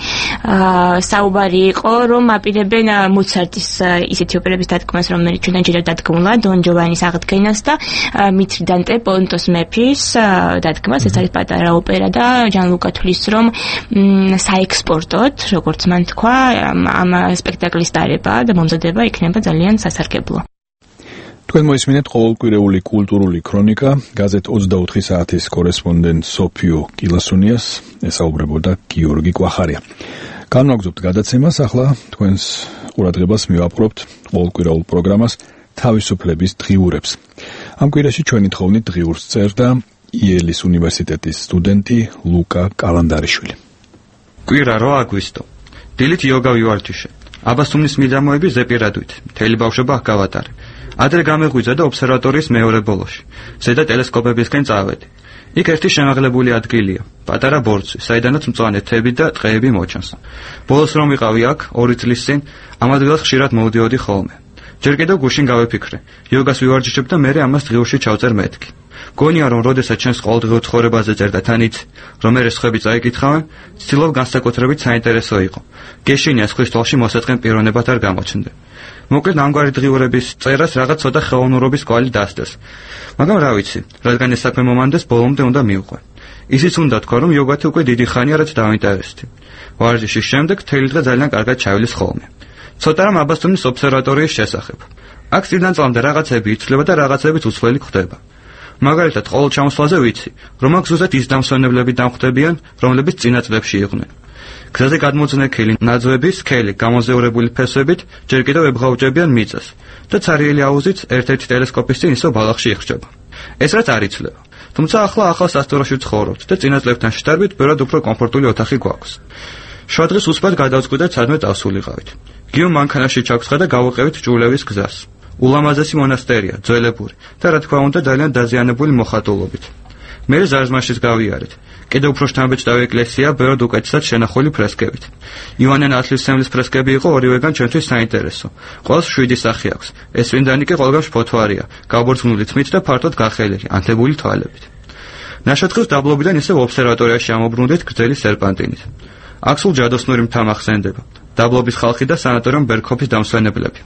საუბარი იყო, რომ აპირებენ მოცარტის ისეთი ოპერების დადგმას, რომელიც ჩვენთან ჯერ დადგმულა, დონ ჯოვანის აღდგენას და მითრიდანტე პონტოს მეფის დადგმას. ეს არის პატარა ოპერა და ჯანლუკა თვლის რომ საექსპორტოდ, როგორც მან თქვა, ამ სპექტაკლის დარება და მომზადება იქნება ძალიან სასარგებლო. თქვენ მოისმინეთ ყოველკვირეული კულტურული ქრონიკა, გაზეთ ოცდაოთხი საათის კორესპონდენტ სოფიო კილასუნიას, ესაუბრებოდა გიორგი კვახარია. განვაგრძობთ გადაცემას, ახლა თქვენს ყურადღებას მივაპყრობთ ყოველკვირეულ პროგრამას თავისუფლების დღიურებს. ამ კვირაში ჩვენი თხოვნით დღიურს წერდა იელის უნივერსიტეტის სტუდენტი ლუკა კალანდარიშვილი. კვირა რო აგვისტო. დილით იოგა ვივარჯიშე. აბასთუმნის მიდამოები ზეპირადვით. მთელი ბავშვობა გავატარე. ადრე გამეღვიძა და ობსერვატორიის მეორე ბოლოში. ზედა ტელესკოპებისკენ წავედი. იქ ერთი შემაღლებული ადგილია, პატარა ბორცვი, საიდანაც მწვანე თები და ტყეები მოჩანს. ბოლოს რომ ვიყავი აქ, ორი წლის წინ, ამ ადგილას ხშირად მოვდიოდი ხოლმე. ჯერ კიდევ გუშინ გავეფიქრე, იოგას ვივარჯიშებ და მერე ამას დღიურში ჩავწერ მეთქი. გონია რომ როდესაც ჩვენს ყოველდღიურ ცხოვრებაზე წერ და თანით რომ მე სხვები წაიკითხავენ, ცდილობ განსაკუთრებით საინტერესო იყო. გეშინია სხვის თვალში მოსაწყენ პიროვნებად არ გამოჩნდე. მოკლედ ამგვარი დღიურების წერას რაღაც ცოტა ხელოვნურობის კვალი დასდეს. მაგრამ რა ვიცი, რადგან ეს საქმე მომანდეს, ბოლომდე უნდა მივყვე. ისიც უნდა თქვა, რომ იოგათი უკვე დიდი ხანია რაც დავინტერესდი. ვარჯიშის შემდეგ თელი დღე ძალიან კარგად ჩაივლის ხოლმე. ცოტა რამ აბასთუმნის ობსერვატორიის შესახებ. აქ წინან წლამდე რაღაცები იცვლება და რაღაცებიც უცვლელი ხდება. მაგალითად, ყოველ ჩამოსვლაზე ვიცი, რომ აქ ზუსტად ის დამსვენებლები დამხვდებიან, რომლებიც წინა წლებში იყვნენ. გზაზე გადმოძნექილი ნაძვების სქელი გამოზეურებული ფესვებით ჯერ კიდევ ებღაუჭებიან მიწას და ცარიელი აუზით ერთ-ერთი ტელესკოპის წინ ისო ბალახში იხრჩება. ეს რაც არ იცვლება. თუმცა ახლა ახალ სასტუმროში ვცხოვრობთ და წინა წლებთან შედარებით ბევრად უფრო კომფორტული ოთახი გვაქვს. შვა დღეს უსწრაფად გადავწყვიტეთ სადმე წავსულიყავით. გიო მანქანაში ჩაგცხა და გავუყევით ჭულევის გზას. ულამაზესი მონასტერია, ძველებური და რა თქმა უნდა ძალიან დაზიანებული მოხატულობით. მე ზარზმაშის გავიარეთ. კიდევ უფრო შთამბეჭდავი ეკლესია, ბევრად უკეთესად შენახული ფრესკებით. ივანე ნათლისმცემლის ფრესკები იყო ორივეგან ჩვენთვის საინტერესო. ყველას შვიდი სახე აქვს. ეს წმინდანი კი ყველგან შფოთვარია, გაბორძგნული თმით და ფართოდ გახელილი, ანთებული თვალებით. ნაშათხის დაბლობიდან ისევ ობსერვატორიაში ამობრუნდით გრძელი სერპანტინით. აქ სულ ჯადოსნური მთა მახსენდება. დაბლობის ხალხი და სანატორიუმ ბერგჰოფის დამსვენებლები.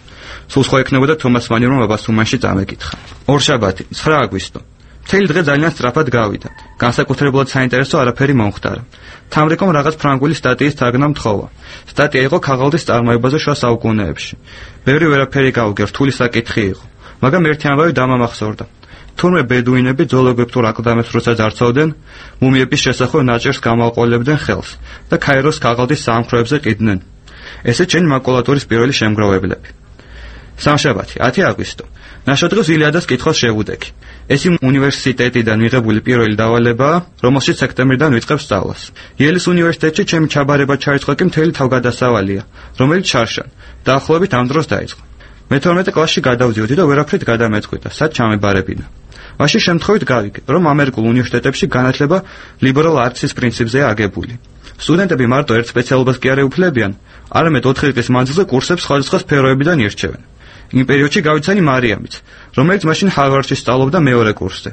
სულ სხვა ექნებოდა თომას მანი რომ აბასთუმანში წამეკითხა. ორშაბათი, ცხრა აგვისტო. მთელი დღე ძალიან სწრაფად გავიდა. განსაკუთრებულად საინტერესო არაფერი მომხდარა. თამრიკომ რაღაც ფრანგული სტატიის თარგმნა მთხოვა. სტატია იყო ქაღალდის წარმოებაზე შუა საუკუნეებში. ბევრი ვერაფერი გავუგე, რთული საკითხი იყო. მაგრამ ერთი ამბავი დამამახსოვრდა. თურმე ბედუინები ძოლოგვეფთურ აკლდამებს როცა ძარცავდნენ, მუმიების შესახვევ ნაჭერს გამალყოლებდნენ ხელს და ქაიროს ქაღალდის საამქროებზე ყიდნენ. ესე ჩენი მაკულატურის პირველი შემგროვებლები. სამშაბათი, ათი აგვისტო. ნაშადღებს ილიადას კითხავს შევუდექი. ეს უნივერსიტეტიდან მიღებული პირველი დავალებაა, რომელშიც სექტემბრიდან ვიწყებ სწავლას. იელის უნივერსიტეტში ჩემი ჩაბარება ჩარიცხვა კი მთელი თავგადასავალია, რომელიც ჩარშან. დაახლოებით ამ დროს დაიწყო. მეთორმეტე კლასში გადავდიოდი და ვერაფრით გადამეწყვიტა, სად ჩამებარებინა. მაშინ შემთხვევით გავიგე, რომ ამერიკულ უნივერსიტეტებში განათლება ლიბერალ არტის პრინციპზეა აგებული. სტუდენტები მარტო ერთ სპეციალობას კი არ ეუფლებიან, არამედ ოთხი წლის მანძილზე კურსებს სხვადასხვა სფეროებიდან ირჩევენ. იმ პერიოდში გავიცანი მარიამიც, რომელიც მაშინ ჰარვარდში სწავლობდა მეორე კურსზე.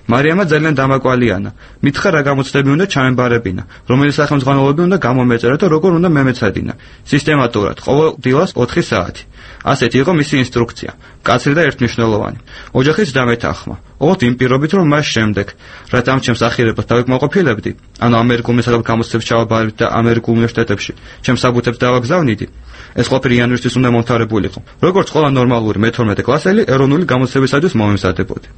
მარიამა ძალიან დამაკვალიანა. მითხრა რა გამოცდები უნდა ჩამებარებინა, რომელი სახელმძღვანელოები უნდა გამომეწერა და როგორ უნდა მემეცადინა. სისტემატურად, ყოველ დილას ოთხი საათი. ასეთი იყო მისი ინსტრუქცია, მკაცრი და ერთმნიშვნელოვანი. ოჯახიც დამეთანხმა. ოღონდ იმ პირობით, რომ მას შემდეგ, რაც ამ ჩემს ახირებას დავიკმაყოფილებდი, ანუ ამერიკულ მესაკუთრებელ გამოცდებს ჩავაბარებდი და ამერიკულ უნივერსიტეტებში ჩემს საბუთებს დავაგზავნიდი, ეს ყველაფერი იანვრისთვის უნდა მომთავრებულიყო. როგორც ყველა ნორმალური მეთორმეტე კლასელი, ეროვნული გამოცდებისათვის მომემზადებოდი.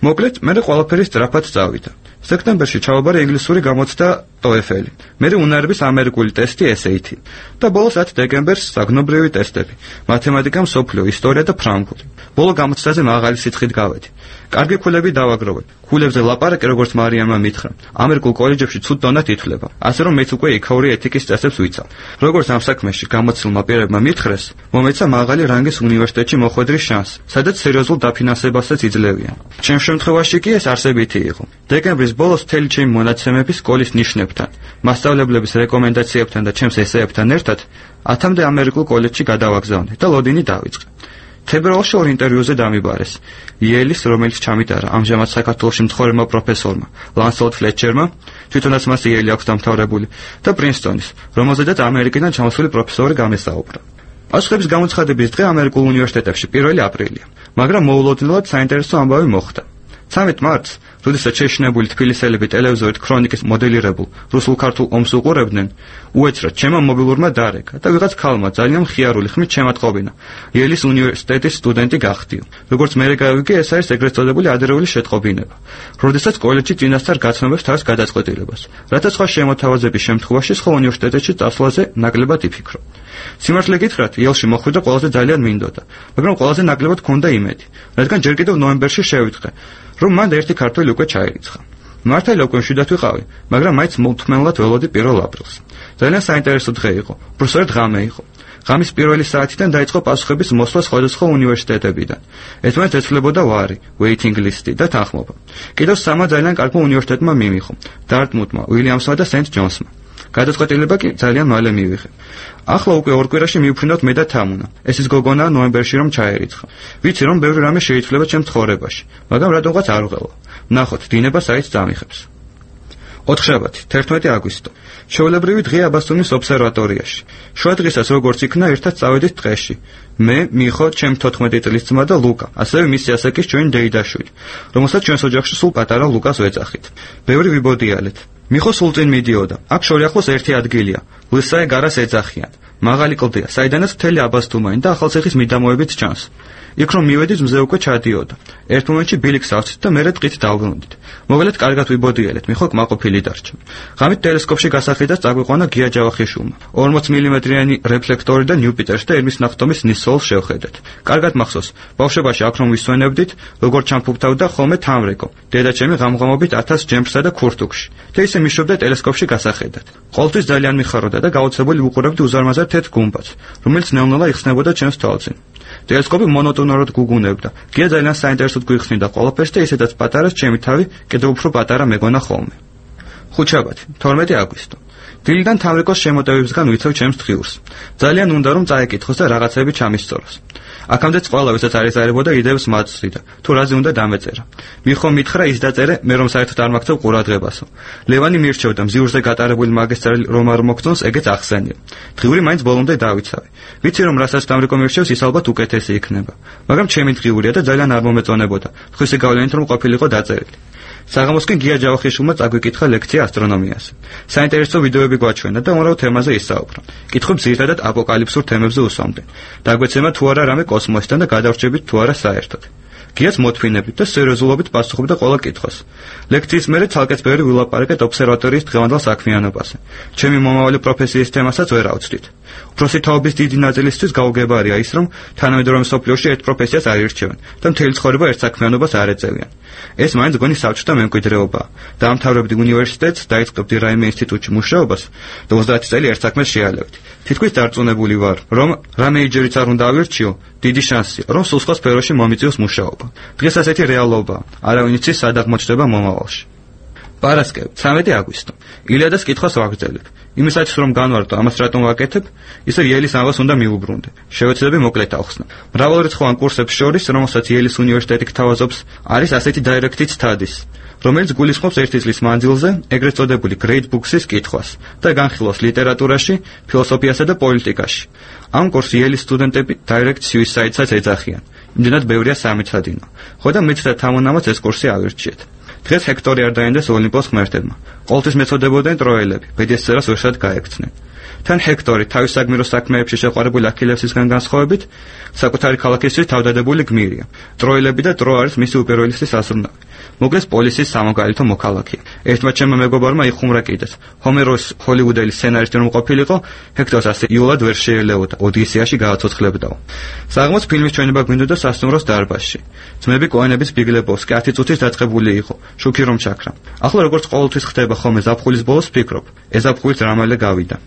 მოკლედ, მე ყველაფერი სწრაფად წავიდა. სექტემბერში ჩავაბარე ინგლისური გამოცდა TOEFL, მერე უნარების ამერიკული ტესტი S A T და ბოლოს ათი დეკემბერს საგნობრივი ტესტები, მათემატიკა, მსოფლიო ისტორია და ფრანგული. ბოლო გამოცდაზე მაღალი სითხით გავედი. კარგი ქულები დავაგროვე. ქულებზე ლაპარაკი, როგორც მარიამმა მითხრა, ამერიკულ კოლეჯებში ცუდ დონად ითვლება, ასე რომ მეც უკვე იქაური ეთიკის წესებს ვიცავ. როგორც ამ საქმეში გამოცდილმა პირებმა მითხრეს, მომეცა მაღალი რანგის უნივერსიტეტში მოხვედრის შანსი, სადაც სერიოზულ დაფინანსებასაც იძლევიან. ჩემ შემთხვევაში კი ეს არსებითი იყო. დეკემბრის ბოლოს მთელი ჩემი მონაცემები სკოლის ნიშნებთან, მასწავლებლების რეკომენდაციებთან და ჩემს ესეებთან ერთად ათამდე ამერიკულ კოლეჯში გადავაგზავნე და ლოდინი დავიწყე. თებერვალში ორ ინტერვიუზე დამიბარეს. იელის, რომელიც ჩამიტარა ამჟამად საქართველოში მცხოვრებმა პროფესორმა, ლანსელოტ ფლეტჩერმა, თვითონაც მას იელი აქვს დამთავრებული, და პრინსტონის, რომელზედაც ამერიკიდან ჩამოსული პროფესორი გამესაუბრა. პასუხების გამოცხადების დღე ამერიკულ უნივერსიტეტებში პირველი აპრილია, მაგრამ მოულოდნელად საინტერესო ამბავი მოხდა. ცამეტ მარტს, როდესაც შეშინებული თბილისელები ტელევიზორით ქრონიკის მოდელირებულ რუსულ-ქართულ ომს უყურებდნენ, უეცრად ჩემმა მობილურმა დარეკა და ვიღაც ქალმა ძალიან მხიარული ხმით შემატყობინა. იელის უნივერსიტეტის სტუდენტი გახდიო. როგორც მერე გავიგე, ეს არის ეგრეთ წოდებული ადრეული შეტყობინება, როდესაც კოლეჯში წინასწარ გაცნობებს თავს გადაწყვეტილებას, რათა სხვა შემოთავაზების შემთხვევაში სხვა უნივერსიტეტებში წასვლაზე ნაკლებად იფიქრო. სიმართლე გითხრათ, იელში მოხვედრა ყველაზე ძალიან მინდოდა, მაგრამ ყველაზე ნაკლებად ჰქონდა იმედი, რადგან ჯერ კიდევ ნოემბერში შევიწყე, რომ მან ერთი ქართველი უკვე ჩაირიცხა. მართალი უკვე მშვიდად ვიყავი, მაგრამ მაინც მოუთმენლად ველოდი პირველ აპრილს. ძალიან საინტერესო დღე იყო, უბრალოდ ღამე იყო. ღამის პირველი საათიდან დაიწყო პასუხების მოსვლა სხვადასხვა უნივერსიტეტებიდან. ერთმანეთს ეცვლებოდა ვარი, waiting list და თანხმობა. კიდევ სამმა ძალიან კარგმა უნივერსიტეტმა მიმიღო, დარტმუთმა, უილიამსმა და სენტ ჯონსმა. გადაწყვეტილება კი ძალიან მალე მივიღე. ახლა უკვე ორ კვირაში მივფრინავთ მე და თამუნა. ეს ის გოგონა ნოემბერში რომ ჩაერიცხა. ვიცი რომ ბევრი რამე შეიძლება ჩემს ცხოვრებაში, მაგრამ რატომღაც არ ვღელო. ნახოთ, დინება საით წამიხებს. ოთხშაბათი, თერთმეტი აგვისტო. ჩვეულებრივი დღე აბასთუმის ობსერვატორიაში. შუა დღესაც როგორც იქნა, ერთად წავედით ტყეში. მე, მიხო, ჩემ თოთხმეტი წლის ძმა და ლუკა, ასევე მისი ასაკის ჩვენი დეიდაშვილი, რომელსაც ჩვენს ოჯახში სულ პატარა ლუკას ვეძახით. ბევრი ვიბოდიალეთ. მიხო სულ წინ მიდიოდა. აქ შორი ახლოს ერთი ადგილია. ლისაე გარას ეძახიან. მაღალი კლდეა, საიდანაც მთელი აბასთუმანი და ახალციხის მიდამოებით ჩანს. იქ რომ მივედით, მზე უკვე ჩადიოდა. ერთ მომენტში ბილიქს ავწით და მერე ტყით დავგნოდით. მოველეთ კარგად ვიბოდიალეთ, მიხო კმაყოფილი დარჩა. ღამით ტელესკოპში გასახედას წაგვიყვანა გია ჯავახიშვილმა. ორმოც მილიმეტრიანი რეფლექტორი და ნიუპიტერს და ერმის ნახტომის ნისოლს შევხედეთ. კარგად მახსოვს, ბავშვობაში აქ რომ ვისვენებდით, როგორ ჩამფუფთავდა ხოლმე თამრეკო. დედაჩემი ღამღამობით ათას ჯემსა და ქურთუკში. და ისე მიშობდა ტელესკოპში გასახედად. ყოველთვის ძალიან მიხაროდა და გაოცებული ვუყურებდი უზარმაზარ თეთრ გუმბათს, რომელიც ნელ-ნელა იხსნებოდა ჩემს თვალწინ. ტელესკოპი მონოტონურად გუგუნებდა. გია ძალიან საინტერესოდ გვიხსნიდა ყველაფერს და ისედაც პატარას ჩემი თავი კიდევ უფრო პატარა მეგონა ხოლმე. ხუთშაბათი, თორმეტი აგვისტო. დილიდან თამრეკოს შემოტევებისგან ვიცევ ჩემს დღიურს. ძალიან უნდა რომ წაეკითხოს და რაღაცები ჩამისწოროს. აქამდეც ყველა ვისაც არიზარებოდა იდეებს მაწვდიდა, თუ რაზე უნდა დამეწერა. მიხო მითხრა ის დაწერე, მე რომ საერთოდ არ მაქცევ ყურადღებასო. ლევანი მირჩევდა მზიურზე გატარებული მაგისტრალი რომ არ მოგწონს, ეგეც ახსენია. დღიური მაინც ბოლომდე დავიცავი. ვიცი რომ რასაც თამრეკო მირჩევს, ის ალბათ უკეთესი იქნება. მაგრამ ჩემი დღიურია და ძალიან არ მომეწონებოდა. ხვისი გავლენით რომ ყოფილიყო დაწერილი. საღამოს კი გია ჯავახიშვილმა წაგვიკითხა ლექცია ასტრონომიაზე. საინტერესო ვიდეოები გვაჩვენა და უამრავ თემაზე ისაუბრა. კითხვებს ძირითადად აპოკალიფსურ თემებზე უსვამდნენ. დაგვეცემა თუ არა რამე კოსმოსიდან და გადავრჩებით თუ არა საერთოდ. გიაც მოთმინებით და სერიოზულობით პასუხობდა ყველა კითხვას. ლექციის მერე ცალკეც ბევრი ვილაპარაკეთ ობსერვატორიის დღევანდელ საქმიანობაზე. ჩემი მომავალი პროფესიის თემასაც ვერ ავწვდით. უფროსი თაობის დიდი ნაწილისთვის გაუგებარია ის, რომ თანამედროვე მსოფლიოში ერთ პროფესიას არ ირჩევენ და მთელი ცხოვრება ერთ საქმიანობას არ ეწევიან. ეს მაინც გონი საბჭოთა მემკვიდრეობაა. დაამთავრებდი უნივერსიტეტს, დაიწყებდი რაიმე ინსტიტუტში მუშაობას და ოცდაათი წელი ერთ საქმეს შეალევდი. თითქმის დარწმუნებული ვარ, რომ რამე იჯერიც არ უნდა ავირჩიო, დიდი შანსია, რომ სულ სხვა სფეროში მომიწევს მუშაობა. დღეს ასეთი რეალობაა. არავინ იცის სად აღმოჩნდება მომავალში. პარასკევი, ცამეტი აგვისტო. ილიადას კითხვას ვაგრძელებ. იმისათვის რომ განვარტო ამას რატომ ვაკეთებ, ისე იელის ამას უნდა მიუბრუნდე. შევეცდები მოკლედ ახსნა. მრავალრიცხოვან კურსებს შორის, რომელსაც იელის უნივერსიტეტი გთავაზობს, არის ასეთი დაირექტი სტადის, რომელიც გულისხმობს ერთი წლის მანძილზე ეგრეთ წოდებული Great Books-ის კითხვას და განხილავს ლიტერატურაში, ფილოსოფიასა და პოლიტიკაში. ამ კურსს იელის სტუდენტები Direct Suicide-საც ეძახიან. იმდენად ბევრია სამეცადინო. ხო და მეც და თამონამაც ეს კურსი ავირჩიეთ. დღეს ჰექტორი არ დაენდეს ოლიმპოს ღმერთებმა. ყოველთვის მეწოდებოდნენ ტროელები, ბედისწერას ვერსად გაექცნენ. თან ჰექტორი თავის საგმირო საქმეებში შეყვარებული აქილევსისგან განსხვავებით, საკუთარი ქალაქისთვის თავდადებული გმირია. ტროელები და ტროა არის მისი უპირველესი საზრუნავი. მოგეს პოლისის სამოგალითო მოქალაქეა. ერთმა ჩემმა მეგობარმა იხუმრა კიდეც. ჰომეროს ჰოლივუდელი სცენარისტი რომ ყოფილიყო, ჰექტორს ასე იულად ვერ შეელეოდა, ოდისეაში გააცოცხლებდაო. საღამოს ფილმის ჩვენება გვინდოდა სასტუმროს დარბაზში. ძმები კოენების ბიგლებოვსკი ათი წუთის დაწყებული იყო, შუქი რომ ჩაქრა. ახლა როგორც ყოველთვის ხდება ხოლმე ზაფხულის ბოლოს ფიქრობ, ეს ზაფხულით რამალე გავიდა.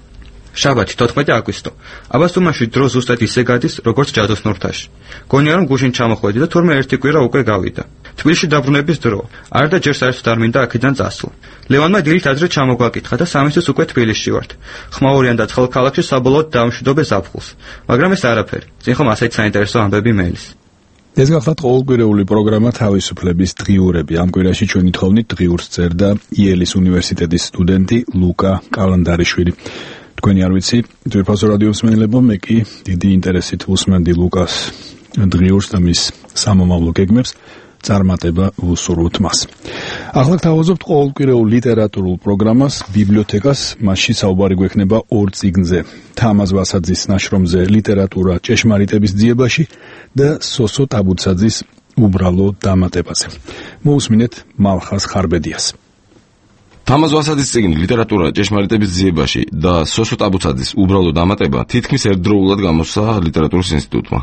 შაბათი თოთხმეტი აგვისტო. აბასთუმანში დრო ზუსტად ისე გადის, როგორც ჯადოსნურთაში. გონია რომ გუშინ ჩამოხვედი და თურმე ერთი კვირა უკვე გავიდა. თბილისში დაბრუნების დრო. არ და ჯერ საერთოდ არ მინდა აქედან წასვლა. ლევანმა დილით ადრე ჩამოგვაკითხა და სამისთვის უკვე თბილისში ვართ. ხმაურიან და ცხელ ქალაქში საბოლოოდ დავამშვიდობე ზაფხულს. მაგრამ ეს არაფერი. წინ ხომ ასეთ საინტერესო ამბები მელის. ეს გახლავთ ყოველკვირეული პროგრამა თავისუფლების დღიურები. ამ კვირაში ჩვენი თხოვნით დღიურს წერდა იელის უნივერსიტეტის სტუდენტი ლუკა კალანდარიშვილი. თქვენი არ ვიცი, ძვირფასო რადიო მსმენელებო, მე კი დიდი ინტერესით უსმენდი ლუკას დღიურს და მის სამომავლო გეგმებს, წარმატება ვუსურვოთ მას. ახლა გთავაზობთ ყოველკვირეულ ლიტერატურულ პროგრამას ბიბლიოთეკას, მასში საუბარი გვექნება ორ წიგნზე: თამაზ ვასაძის ნაშრომზე ლიტერატურა ჭეშმარიტების ძიებაში და სოსო ტაბუცაძის უბრალო დამატებაზე. მოусმინეთ მალხაზ ხარბედიას. თამაზ ვასაძის წიგნი ლიტერატურა ჭეშმარიტების ძიებაში და სოსო ტაბუცაძის უბრალო დამატება თითქმის ერთდროულად გამოსცა ლიტერატურის ინსტიტუტმა.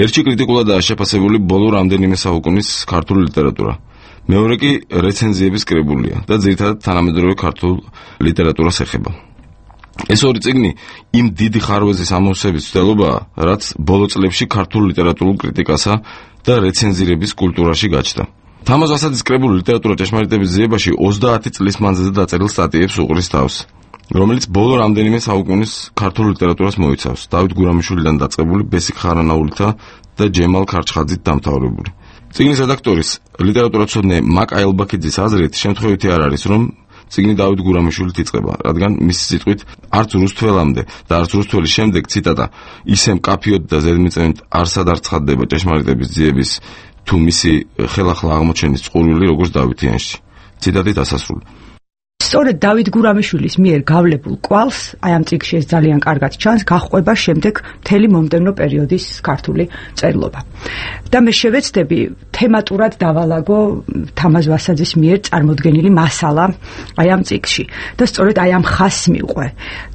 ერთში კრიტიკულადაა შეფასებული ბოლო რამდენიმე საუკუნის ქართული ლიტერატურა. მეორე კი რეცენზიების კრებულია და ძირითადად თანამედროვე ქართულ ლიტერატურას ეხება. ეს ორი წიგნი იმ დიდი ხარვეზის ამოვსების ცდილობაა, რაც ბოლო წლებში ქართულ ლიტერატურულ კრიტიკასა და რეცენზირების კულტურაში გაჩნდა. თამაზ ვასაძის კრებული ლიტერატურა ჭეშმარიტების ძიებაში ოცდაათი წლის მანძილზე დაწერილ სტატიებს უყრის თავს, რომელიც ბოლო რამდენიმე საუკუნის ქართულ ლიტერატურას მოიცავს, დავით გურამიშვილიდან დაწყებული ბესიკ ხარანაულითა და ჯემალ ქარჩხაძით დამთავრებული. წიგნის რედაქტორის ლიტერატურაცოდნე მაკ აილბაქიძის აზრით, შემთხვევითი არ არის, რომ წიგნი დავით გურამიშვილით იწყება, რადგან მისი სიტყვით არც რუსთველამდე და არც რუსთველის შემდეგ, ციტატა, ისე მკაფიოდ და ზედმიწევნით არსად არ ცხადდება ჭეშმარიტების ძიების თუ მისი ხელახლა აღმოჩენის წყურვილი როგორც დავითიანში. ციტატი დასასრული. სწორედ დავით გურამიშვილის მიერ გავლებულ კვალს, აი ამ წიგნში ეს ძალიან კარგად ჩანს, გაჰყვება შემდეგ მთელი მომდევნო პერიოდის ქართული წერლობა. და მე შევეცდები თემატურად დავალაგო თამაზ ვასაძის მიერ წარმოდგენილი მასალა აი ამ წიგნში და სწორედ აი ამ ხაზს მივყვე.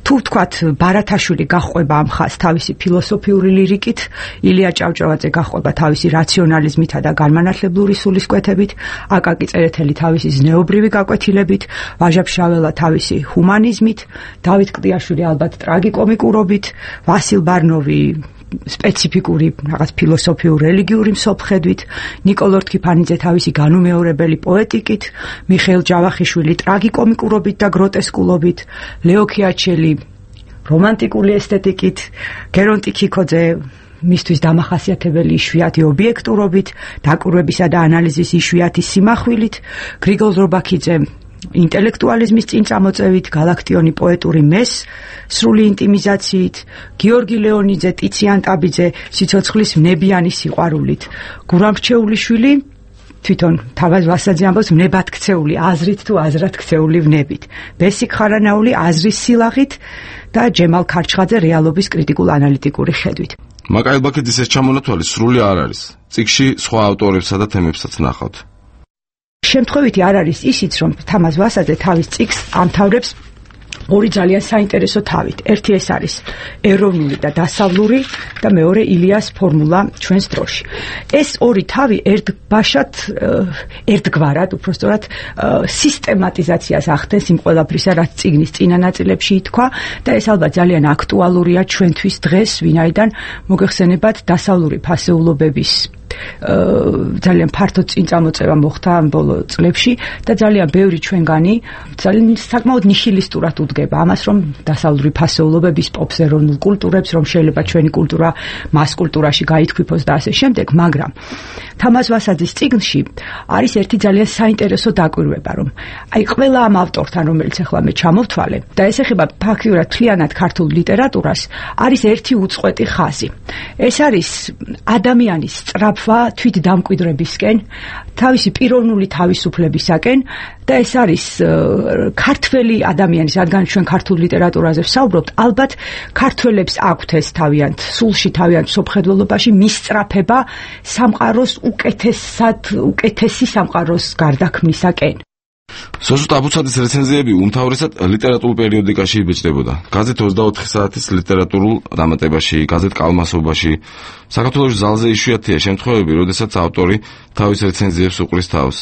თუ ვთქვათ ბარათაშვილი გაჰყვება ამ ხაზს თავისი ფილოსოფიური ლირიკით, ილია ჭავჭავაძე გაჰყვება თავისი რაციონალიზმითა და განმანათლებლური სულისკვეთებით, აკაკი წერეთელი თავისი ზნეობრივი გაკვეთილებით, ვაჟა ფშაველა თავისი ჰუმანიზმით, დავით კლდიაშვილი ალბათ ტრაგიკომიკურობით, ვასილ ბარნოვი სპეციფიკური რაღაც ფილოსოფიურ-რელიგიური მსოფლხედვით, ნიკოლოზ რქიფანიძე თავისი განუმეორებელი პოეტიკით, მიხეილ ჯავახიშვილი ტრაგიკომიკურობით და გროტესკულობით, ლეო ქიაჩელი რომანტიკული ესთეტიკით, გერონტი ქიქოძე მისთვის დამახასიათებელი იშვიათი ობიექტურობით, დაკვირვებისა და ანალიზის იშვიათი სიმახვილით, გრიგოლ ზურბაქიძე ინტელექტუალიზმის წინწამოწევით, გალაქტიონი პოეტური მეს სრული ინტიმიზაციით, გიორგი ლეონიძე, ტიციან ტაბიძე სიცოცხლის ვნებიანი სიყვარულით, გურამ რჩეულიშვილი თვითონ თამაზ ვასაძე ამბობს ვნებად ქცეული, აზრით თუ აზრად ქცეული ვნებით, ბესიკ ხარანაული აზრის სილაღით და ჯემალ ქარჩხაძე რეალობის კრიტიკულ-ანალიტიკური ხედვით. მაკაელ ბაქეძის ეს ჩამონათვალი სრული არ არის. წიგნში სხვა ავტორებსა და თემებსაც ნახავთ. შემთხვევითი არ არის ისიც, რომ თამაზ ვასაძე თავის წიგნს ამთავრებს ორი ძალიან საინტერესო თავით. ერთი ეს არის ეროვნული და დასავლური და მეორე ილიას ფორმულა ჩვენს დროში. ეს ორი თავი ერთბაშად, ერთგვარად, უბრალოდ სისტემატიზაციას ახდენს იმ ყველაფრისა, რაც წიგნის წინა ნაწილებში ითქვა და ეს ალბათ ძალიან აქტუალურია ჩვენთვის დღეს, ვინაიდან მოგეხსენებათ დასავლური ფასეულობების ძალიან ფართო წინწამოწევა მოხდა ამ ბოლო წლებში და ძალიან ბევრი ჩვენგანი ძალიან საკმაოდ ნიჰილისტურად უდგება ამას, რომ დასავლური ფასეულობების პოპს, ეროვნულ კულტურებს, რომ შეიძლება ჩვენი კულტურა მას კულტურაში გაითქვიფოს და ასე შემდეგ, მაგრამ თამაზ ვასაძის წიგნში არის ერთი ძალიან საინტერესო დაკვირვება, რომ აი ყველა ამ ავტორთან, რომელიც ახლა მე ჩამოვთვალე და ეს ეხება ფაქტიურად მთლიანად ქართულ ლიტერატურას, არის ერთი უწყვეტი ხაზი. ეს არის ადამიანის სწრაფვა თვით დამკვიდრებისკენ, თავისი პიროვნული თავისუფლებისაკენ და ეს არის ქართველი ადამიანის, რადგან ჩვენ ქართულ ლიტერატურაზე ვსაუბრობთ, ალბათ ქართველებს აქვთ ეს თავიანთ სულში, თავიანთ სოფხედველობაში მისწრაფება სამყაროს უკეთესად, უკეთესი სამყაროს გარდაქმნისაკენ. სოსუთ აბუცაძის რეცენზიები უმთავრესად ლიტერატურულ პერიოდიკაში იბეჭდებოდა. გაზეთ ოცდაოთხი საათის ლიტერატურულ დამატებაში, გაზეთ კალმასობაში. საქართველოს ზალზე იშვიათია შემთხვევები, როდესაც ავტორი თავის რეცენზიებს უყრის თავს.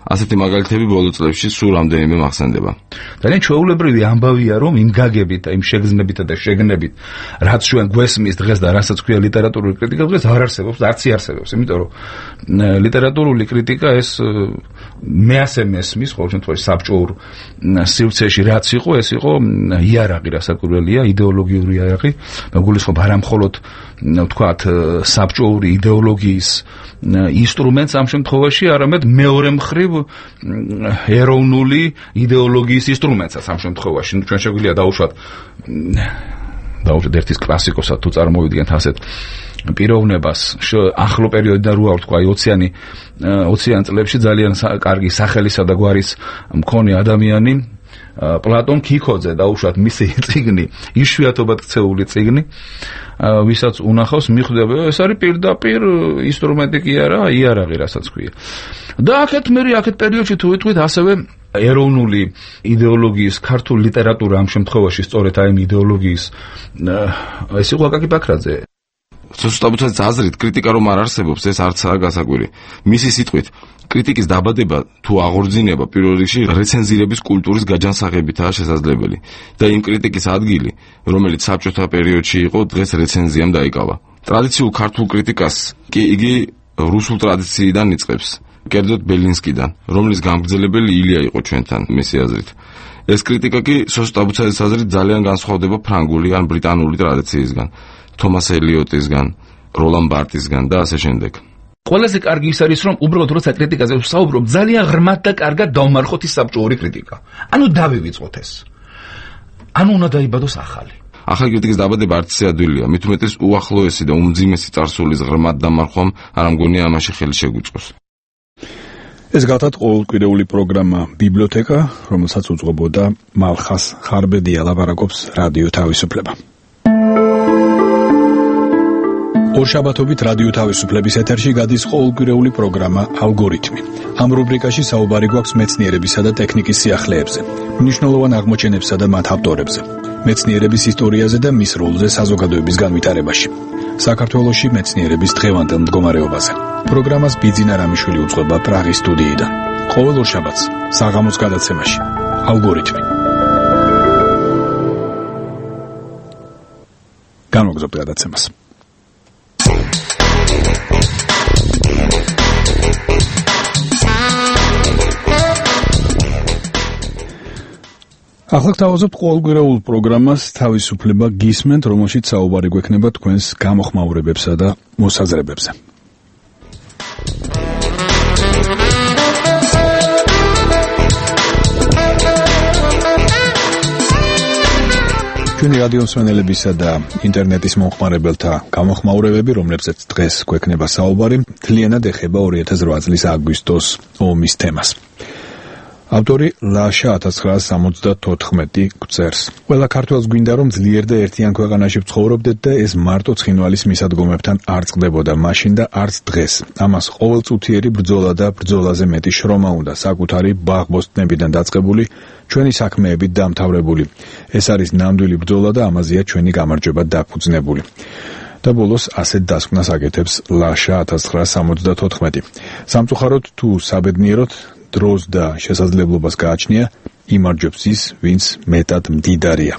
ასეთი მაგალითები ბოლო წლებში სულ რამდენიმე მახსენდება. ძალიან ჩვეულებრივი ამბავია, რომ იმ გაგებით, იმ შეგრძნებით და შეგნებით, რაც ჩვენ გვესმის დღეს და რასაც ქვია ლიტერატურული კრიტიკა, დღეს არ არსებობს, არც იარსებობს, იმიტომ რომ ლიტერატურული კრიტიკა ეს მე ასე მესმის, ყოველ შემთხვევაში საბჭოურ სივრცეში რაც იყო, ეს იყო იარაღი, რასაკვირველია, იდეოლოგიური იარაღი, მეგულისხმობ არა მხოლოდ ვთქვათ საბჭოური იდეოლოგიის ინსტრუმენტს ამ შემთხვევაში, არამედ მეორე მხრივ ეროვნული იდეოლოგიის ინსტრუმენტსაც ამ შემთხვევაში. ნუ ჩვენ შეგვიძლია დაუშვათ დაუშვათ ერთის კლასიკოსად თუ წარმოვიდგენთ ასეთ პიროვნებას ახლო პერიოდიდან რო ვთქვა, აი ოციანი ოციან წლებში ძალიან კარგი სახელისა და გვარის მქონე ადამიანი პლატონ ქიქოძე, დაუშვათ მისი წიგნი, იშვიათობად ქცეული წიგნი, ვისაც უნახავს, მიხვდება, ეს არის პირდაპირ ინსტრუმენტი კი არა, იარაღი, რასაც ქვია. და აქეთ მე აქეთ პერიოდში თუ ვიტყვით ასევე ეროვნული იდეოლოგიის ქართულ ლიტერატურა ამ შემთხვევაში სწორედ აი იმ იდეოლოგიის ეს იყო აკაკი ბაქრაძე. სოსუთ აბუცაძის აზრით, კრიტიკა რომ არ არსებობს, ეს არცაა გასაკვირი. მისი სიტყვით, კრიტიკის დაბადება თუ აღორძინება პირველ რიგში რეცენზირების კულტურის გაჯანსაღებითაა შესაძლებელი და იმ კრიტიკის ადგილი, რომელიც საბჭოთა პერიოდში იყო, დღეს რეცენზიამ დაიკავა. ტრადიციულ ქართულ კრიტიკას კი იგი რუსულ ტრადიციიდან იწყებს, კერძოდ ბელინსკიდან, რომლის გამგრძელებელი ილია იყო ჩვენთან, მისი აზრით. ეს კრიტიკა კი სოსუთ აბუცაძის აზრით ძალიან განსხვავდება ფრანგული ან ბრიტანული ტრადიციისგან, თომას ელიოტისგან, როლან ბარტისგან და ასე შემდეგ. ყველაზე კარგი ის არის, რომ უბრალოდ როცა კრიტიკაზე ვსაუბრობ, ძალიან ღრმად და კარგად დავმარხოთ ის საბჭოური კრიტიკა. ანუ დავივიწყოთ ეს. ანუ უნდა დაიბადოს ახალი. ახალი კრიტიკის დაბადება არც ისე ადვილია, მით უმეტეს უახლოესი და უმძიმესი წარსულის ღრმად დამარხვამ არ ამგონია ამაში ხელი შეგვიწყოს. ეს გახლავთ ყოველკვირეული პროგრამა ბიბლიოთეკა, რომელსაც უძღვებოდა მალხას ხარბედია, ლაპარაკობს რადიო თავისუფლება. ორშაბათობით რადიო თავისუფლების ეთერში გადის ყოველკვირეული პროგრამა ალგორითმი. ამ რუბრიკაში საუბარი გვაქვს მეცნიერებისა და ტექნიკის სიახლეებზე, მნიშვნელოვან აღმოჩენებსა და მათ ავტორებზე, მეცნიერების ისტორიაზე და მის როლზე საზოგადოების განვითარებაში, საქართველოში მეცნიერების დღევანდელ მდგომარეობაზე. პროგრამას ბიძინა რამიშვილი უძღვება პრაღის სტუდიიდან. ყოველ ორშაბათს საღამოს გადაცემაში ალგორითმი. განვაგრძობთ გადაცემას. ახლა გთავაზობთ ყოველკვირეულ პროგრამას თავისუფლება გისმენთ, რომელშიც საუბარი გვექნება თქვენს გამოხმაურებებსა და მოსაზრებებზე. ჩვენი რადიო მსმენელებისა და ინტერნეტის მომხმარებელთა გამოხმაურებები, რომლებზეც დღეს გვექნება საუბარი, მთლიანად ეხება ორი ათას რვა წლის აგვისტოს ომის თემას. ავტორი ლაშა ათას ცხრაასი სამოცდათოთხმეტი გვწერს. ყველა ქართველს გვინდა რომ ძლიერ და ერთიან ქვეყანაში ვცხოვრობდეთ და ეს მარტო ცხინვალის მისადგომებთან არ წყდებოდა მაშინ და არც დღეს. ამას ყოველწუთიერი ბრძოლა და ბრძოლაზე მეტი შრომა უნდა, საკუთარი ბაღ-ბოსტნებიდან დაწყებული, ჩვენი საქმეებით დამთავრებული. ეს არის ნამდვილი ბრძოლა და ამაზეა ჩვენი გამარჯვება დაფუძნებული. და ბოლოს ასეთ დასკვნას აკეთებს ლაშა ათას ცხრაასი სამოცდათოთხმეტი. სამწუხაროდ თუ საბედნიეროდ დროს და შესაძლებლობას გააჩნია, იმარჯვებს ის, ვინც მეტად მდიდარია.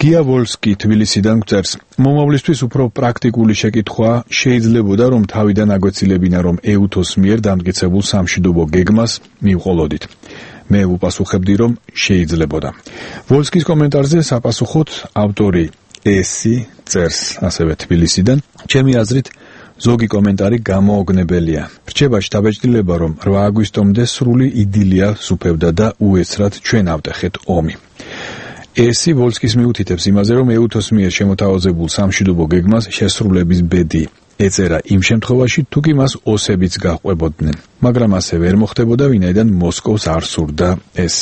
გია ვოლსკი თბილისიდან გვწერს: მომავლისთვის უფრო პრაქტიკული შეკითხვა შეიძლებოდა, რომ თავიდან აგვეცილებინა, რომ ეუთოს მიერ დამტკიცებულ სამშვიდობო გეგმას მივყოლოდით. მე ვუპასუხებდი, რომ შეიძლებოდა. ვოლსკის კომენტარზე საპასუხოდ ავტორი ესი წერს ასევე თბილისიდან: ჩემი აზრით ზოგი კომენტარი გამოუგნებელია. რჩებაში დაბეჭდილება, რომ რვა აგვისტომდე სრული იდილია სუფევდა და უეცრად ჩვენ ავტეხეთ ომი. ესი ვოლსკის მიუთითებს იმაზე, რომ ეუთოს მიერ შემოთავაზებულ სამშვიდობო გეგმას შესრულების ბედი ეწერა იმ შემთხვევაში, თუ კი მას ოსებიც გაჰყვებოდნენ. მაგრამ ასე ვერ მოხდებოდა, ვინაიდან მოსკოვს არ სურდა ეს.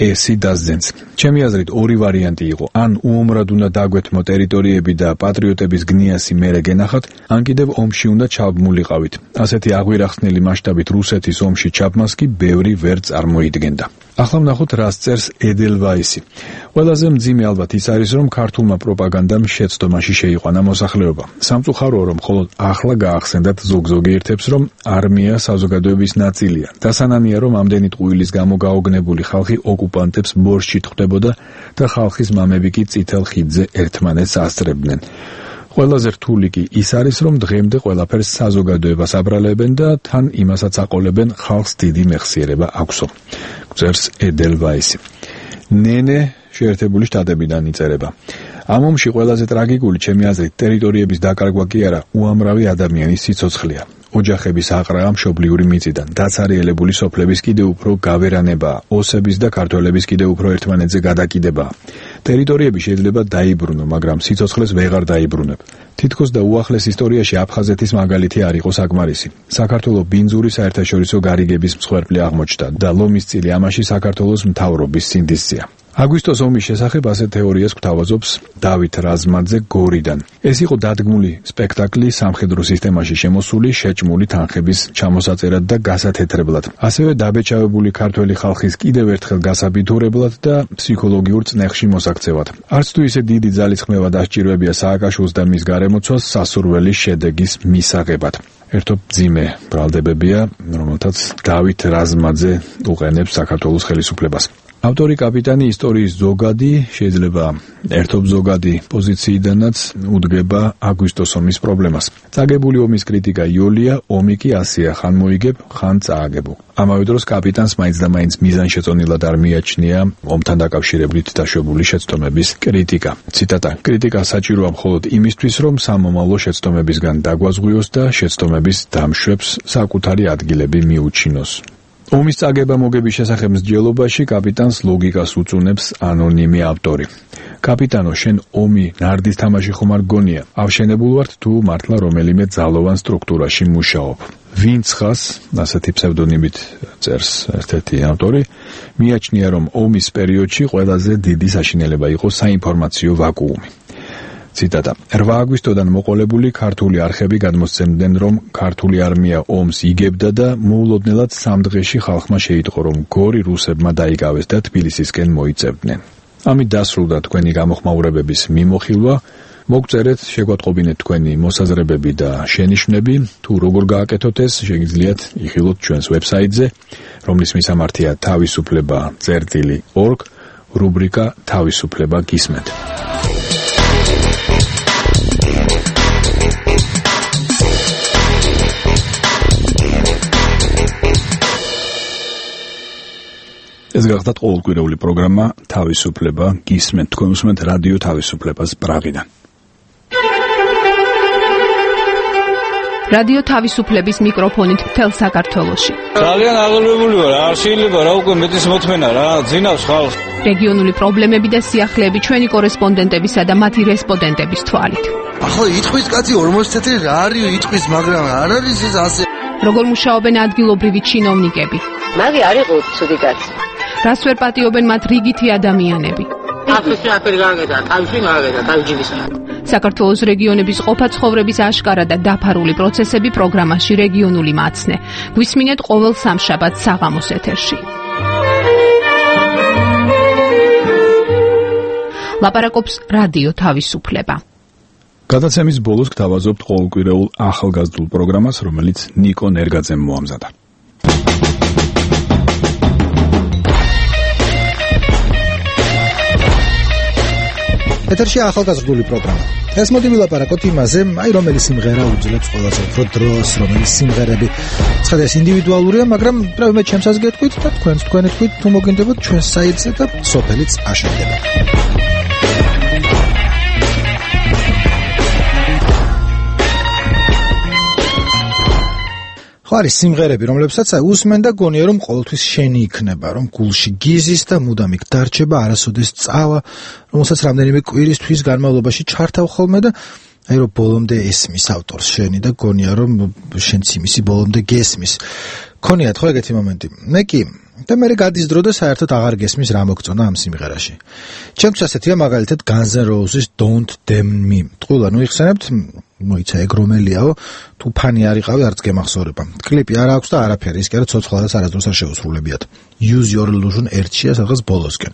ესი დასძენს: ჩემი აზრით ორი ვარიანტი იყო, ან უომრად უნდა დაგვეთმო ტერიტორიები და პატრიოტების გნიასი მერე გენახათ, ან კიდევ ომში უნდა ჩაბმულიყავით. ასეთი აღვირახსნელი მასშტაბით რუსეთის ომში ჩაბმას კი ბევრი ვერ წარმოიდგენდა. ახლა ვნახოთ რას წერს ედელვაისი. ყველაზე მძიმე ალბათ ის არის, რომ ქართულმა პროპაგანდამ შეცდომაში შეიყვანა მოსახლეობა. სამწუხაროა, რომ მხოლოდ ახლა გაახსენდათ ზოგ-ზოგი ერთებს, რომ არმია საზოგადოების ნაწილია. დასანანია, რომ ამდენი ტყუილის გამო გაოგნებული ხალხი ოკუპანტებს ბორშჩი თხვდებოდა და ხალხის მამები კი წითელ ხიდზე ერთმანეთს ასწრებდნენ. ყველაზე რთული კი ის არის, რომ დღემდე ყველაფერს საზოგადოებას აბრალებენ და თან იმასაც აყოლებენ, ხალხს დიდი მეხსიერება აქვსო. გვწერს ედელვაისი. ნენე შეერთებული შტატებიდან იწერება. ამ ომში ყველაზე ტრაგიკული, ჩემი აზრით, ტერიტორიების დაკარგვა კი არა, უამრავი ადამიანის სიცოცხლეა. ოჯახების აყრა მშობლიური მიწიდან, დაცარიელებული სოფლების კიდევ უფრო გავერანებაა, ოსების და ქართველების კიდევ უფრო ერთმანეთზე გადაკიდებაა. ტერიტორიები შეიძლება დაიბრუნო, მაგრამ სიცოცხლეს ვეღარ დაიბრუნებ. თითქოს და უახლეს ისტორიაში აფხაზეთის მაგალითი არ იყო საკმარისი. საქართველოს ბინძური საერთაშორისო გარიგების მსხვერპლი აღმოჩნდა და ლომის წილი ამაში საქართველოს მთავრობის სინდისწია. აგვისტოს ომის შესახებ ასეთ თეორიას გვთავაზობს დავით რაზმაძე გორიდან. ეს იყო დადგმული სპექტაკლი სამხედრო სისტემაში შემოსული შეჭმული თანხების ჩამოსაწერად და გასათეთრებლად. ასევე დაბეჭავებული ქართველი ხალხის კიდევ ერთხელ გასაბითურებლად და ფსიქოლოგიურ წნეხში მოსაქცევად. არც თუ ისე დიდი ძალისხმევა დასჭირვებია სააკაშვილს და მის გარემოცვას სასურველი შედეგის მისაღებად. ერთობ ძიმე ბრალდებებია, რომელთაც დავით რაზმაძე უყენებს საქართველოს ხელისუფლებას. ავტორი კაპიტანი ისტორიის ზოგადი, შეიძლება ერთობ ზოგადი პოზიციიდანაც უდგება აგვისტოს ომის პრობლემას. წაგებული ომის კრიტიკა იოლია, ომი კი ასეა, ხან მოიგებ, ხან წააგებო. ამავე დროს კაპიტანს მაინც და მაინც მიზანშეწონილად არ მიაჩნია ომთან დაკავშირებით დაშვებული შეცდომების კრიტიკა. ციტატა: კრიტიკა საჭიროა მხოლოდ იმისთვის, რომ სამომავლო შეცდომებისგან დაგვაზღვიოს და შეცდომების დამშვებს საკუთარი ადგილები მიუჩინოს. ომის წაგება მოგების შესახებ მსჯელობაში კაპიტანს ლოგიკას უწუნებს ანონიმი ავტორი. კაპიტანო, შენ ომი ნარდის თამაში ხომ არ გონია? ავშენებულ ვართ თუ მართლა რომელიმე ძალოვან სტრუქტურაში მუშაობ? ვინც ხას, ასეთი ფსევდონიმით წერს ერთ-ერთი ავტორი, მიაჩნია, რომ ომის პერიოდში ყველაზე დიდი საშინელება იყო საინფორმაციო ვაკუუმი. ციტატა: რვა აგვისტოდან მოყოლებული ქართული არხები გადმოსცემდნენ, რომ ქართული არმია ომს იგებდა და მოულოდნელად სამ დღეში ხალხმა შეიტყო, რომ გორი რუსებმა დაიკავეს და თბილისისკენ მოიწევდნენ. ამით დასრულდა თქვენი გამოხმაურებების მიმოხილვა. მოგწერეთ, შეგვატყობინეთ თქვენი მოსაზრებები და შენიშვნები. თუ როგორ გააკეთოთ ეს, შეგიძლიათ იხილოთ ჩვენს ვებსაიტზე, რომლის მისამართია თავისუფლება წერტილი ორგ, რუბრიკა თავისუფლება გისმენთ. ეს გახდათ ყოველკვირეული პროგრამა თავისუფლება გისმენთ. თქვენ უსმენთ რადიო თავისუფლებას პრაღიდან. რადიო თავისუფლების მიკროფონით მთელ საქართველოში. ძალიან აღელვებული ვარ, არ შეიძლება რა უკვე მეტის მოთმენა რა, ძინავს ხალხს. რეგიონული პრობლემები და სიახლეები ჩვენი კორესპონდენტებისა და მათი რესპონდენტების თვალით. ახლა იტყვის კაცი ორმოცი თეთრი რა არის იტყვის, მაგრამ არ არის ეს ასე. როგორ მუშაობენ ადგილობრივი ჩინოვნიკები? მაგი არ იყო ცუდი კაცი. რას ვერ პატიობენ მათ რიგითი ადამიანები. აფრიკაში აფერი გააკეთა, თავში გააკეთა, თავჯიბისა. საქართველოს რეგიონების ყოფა-ცხოვრების აშკარა და დაფარული პროცესები პროგრამაში რეგიონული მაცნე. გვისმინეთ ყოველ სამშაბათს საღამოს ეთერში. ლაპარაკობს რადიო თავისუფლება. გადაცემის ბოლოს გთავაზობთ ყოველკვირეულ ახალგაზრდულ პროგრამას, რომელიც ნიკო ნერგაძემ მოამზადა. ეთერში ახალგაზრდული პროგრამა. ეს მოდი ვილაპარაკოთ იმაზე, აი რომელი სიმღერა უძლებს ყველაზე უფრო დროს, რომელი სიმღერები ცხადას ინდივიდუალურია, მაგრამ პრობლემა ჩემსაც გეტყვით და თქვენც თქვენი თქვით, თუ მოგინდებოდ ჩვენს საიტზე და სოფელიც აშენდება. არის სიმღერები, რომლებსაც უსმენ და გონია რომ ყოველთვის შენი იქნება, რომ გულში გიზის და მუდამ იქ დარჩება, არასოდეს წავა, რომელსაც რამდენიმე კვირისთვის განმავლობაში ჩართავ ხოლმე და აი რომ ბოლომდე ესმის ავტორს შენი და გონია რომ შენც იმისი ბოლომდე გესმის. ქონიათ ხო ეგეთი მომენტი? მე კი და მე გადის დრო და საერთოდ აღარ გესმის რა მოგწონა ამ სიმღერაში. ჩემთვის ასეთია მაგალითად Guns N' Roses Don't Damn Me. ტყუილა ნუ იხსენებთ მოიცა ეგ რომელიაო თუ ფანი არ იყავი არც გემახსოვრება. კლიპი არ აქვს და არაფერი, ის კი არა ცოცხლადაც არასდროს არ შეუსრულებიათ. Use Your Illusion ერთშია სადღაც ბოლოსკენ.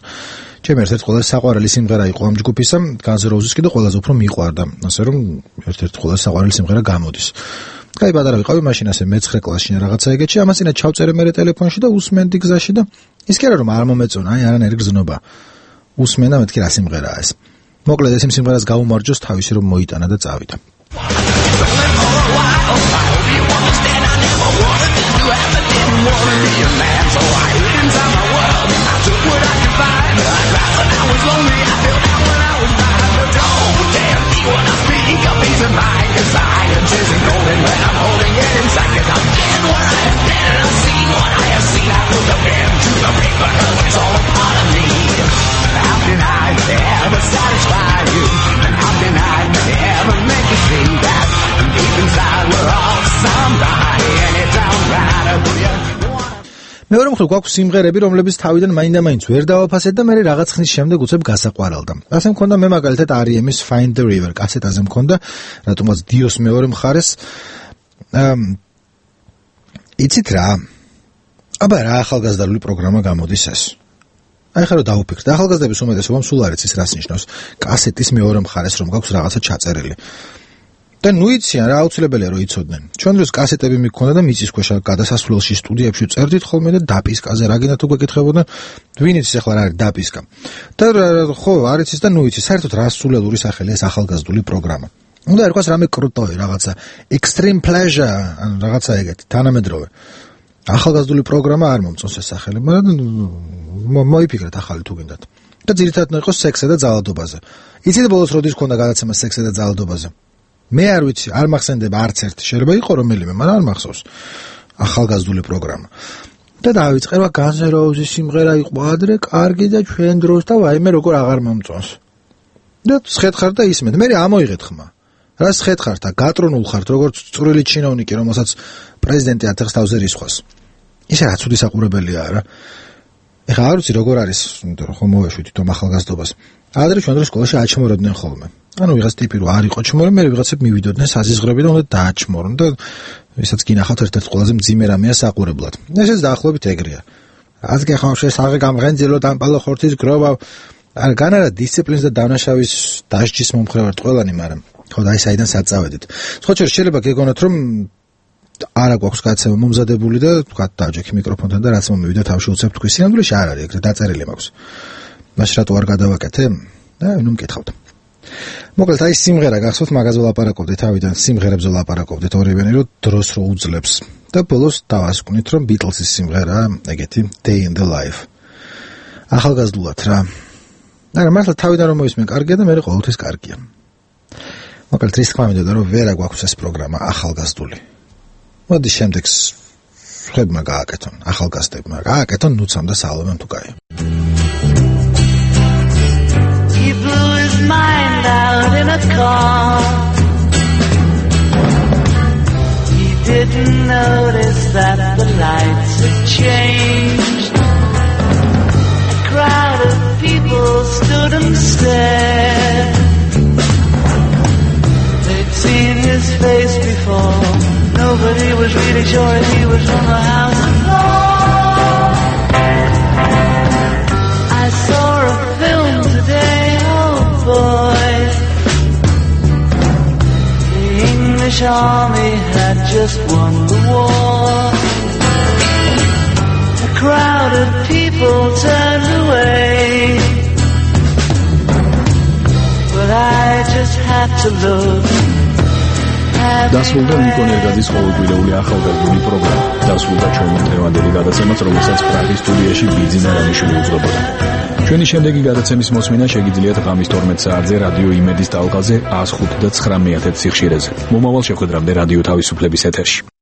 ჩემი ერთ-ერთი ყველაზე საყვარელი სიმღერა იყო ამ ჯგუფისა, Guns N' Roses კიდე ყველაზე უფრო მიყვარდა, ასე რომ ერთ-ერთი ყველაზე საყვარელი სიმღერა გამოდის. კაი პატარა ვიყავი მაშინ ასე მეცხრე კლასში რაღაცა ეგეთში, ამას წინა ჩავწერე მე ტელეფონში და უსმენდი გზაში და ის კი არა რომ არ მომეწონა, აი არანაირი გზნობა. უსმენ და მეთქი რა სიმღერაა ეს. მოკლედ ეს სიმღერას გაუმარჯოს თავისი რომ მოიტანა და წავიდა. მეორე მხრივ გვაქვს სიმღერები, რომლებიც თავიდან მაინდა-მაინც ვერ დავაფასეთ და მე რაღაც ხნის შემდეგ უცებ გასაყვარალდა. ასე მქონდა მე მაგალითად არ ი ემ-ის Find the River კასეტაზე მქონდა, რატომაც დიოს მეორე მხარეს. იცით რა? აბა რა ახალგაზრდული პროგრამა გამოდის ეს? აი ხარო დავუფიქრეთ. ახალგაზრდების უმეტესობამ სულ არ იცის რას ნიშნავს კასეტის მეორე მხარეს რომ გაქვს რაღაცა ჩაწერილი. და ნუ იციან რა აუცილებელია რომ იცოდნენ. ჩვენ დროს კასეტები მიქონდა და მიწის ქვეშ გადასასვლელში სტუდიებში წერდით ხოლმე და დაპისკაზე რა გინდა თუ გეკითხებოდნენ, ვინ იცის ახლა რა არის დაპისკა. და ხო არ იცის და ნუ იცის საერთოდ რა სულელური სახელია ეს ახალგაზრდული პროგრამა. უნდა ერქვას რამე კრუტოვი რაღაცა extreme pleasure ან რაღაცა ეგეთი თანამედროვე. ახალგაზრდული პროგრამა არ მომწონს ეს სახელი, მაგრამ მოიფიქრეთ ახალი თუ გინდათ. და ძირითადად იყო სექსზე და ძალადობაზე. იცით ბოლოს როდის ქონდა გადაცემა სექსზე და ძალადობაზე? მე არ ვიცი, არ მახსენდება არც ერთი, შეიძლება იყო რომელიმე, მაგრამ არ მახსოვს. ახალგაზრდული პროგრამა. და დავიწყება Guns N' Roses სიმღერა იყო ადრე, კარგი და ჩვენ დროს და ვაიმე როგორ აღარ მომწონს. და სხედხარ და ისმენთ. მე ამოიღეთ ხმა. რა სხედხართ და გატრონულ ხართ, როგორც წვრილი ჩინოვნიკი, რომელსაც პრეზიდენტი ათექს თავზე რისხვას. ისე რა ცუდი საყურებელია რა. ეხლა არ ვიცი როგორ არის, რომ მოვეშვი თვითონ ახალგაზრდობას. ადრე ჩვენ დროს სკოლაში აჩმორებდნენ ხოლმე. ანუ ვიღაც ტიპი რო არ იყო ჩმორე, მე ვიღაცებ მივიდოდნენ საზიზღრები და უნდა დააჩმორონ და ვისაც გინახავთ ერთ-ერთ ყველაზე მძიმე რამეა საყურებლად. ესეც დაახლოებით ეგრეა. რაც გეხავშე საღე გამღენძილო დამპალო ხორცის გროვა, არ განარა დისციპლინს და დანაშავის დასჯის მომხრე ვართ ყველანი, მაგრამ ხო და აი საიდან საწავედით. სხვა შეიძლება გეგონოთ რომ არა გვაქვს გადაცემა მომზადებული და თქვა დავჯექი მიკროფონთან და რაც მომივიდა თავში უცებ თქვი სინამდვილეში არ არის ეგრე დაწერილი მაქვს. მაშ რატო არ გადავაკეთე? და ნუ მკითხავთ. მოკლედ აი სიმღერა გახსოვთ მაგაზე ვლაპარაკობდით თავიდან სიმღერებზე ვლაპარაკობდით ორივენი რომ დროს რო უძლებს და ბოლოს დავასკვნით რომ Beatles-ის სიმღერაა ეგეთი Day in the Life. ახალგაზრდულად რა. არა მართლა თავიდან რომ მოისმენ კარგია და მე ყოველთვის კარგია. მოკლედ ის თქმა მინდოდა რომ ვერა გვაქვს ეს პროგრამა ახალგაზრდული. მოდი შემდეგს ხებმა გააკეთონ ახალგაზრდებმა გააკეთონ ნუცამ და სალომემ თუ კაი. He blew his mind out in a car. He didn't notice that the lights had changed. people stood and stared. They'd seen his face before. Nobody was really sure if he was from the house of law. I saw a film today, oh boy. The English army had just won the war. A crowd of people turned away, but I just had to look. დასრულდა ნიკონ ერგაძის ყოველკვირეული ახალგაზრდული პროგრამა. დასრულდა ჩვენი დღევანდელი გადაცემაც, რომელსაც პრაღის სტუდიაში ბიძინა რამიშვილი უძღვებოდა. ჩვენი შემდეგი გადაცემის მოსმენა შეგიძლიათ ღამის თორმეტ საათზე რადიო იმედის ტალღაზე ას ხუთი და ცხრა მეთერს სიხშირეზე. მომავალ შეხვედრამდე რადიო თავისუფლების ეთერში.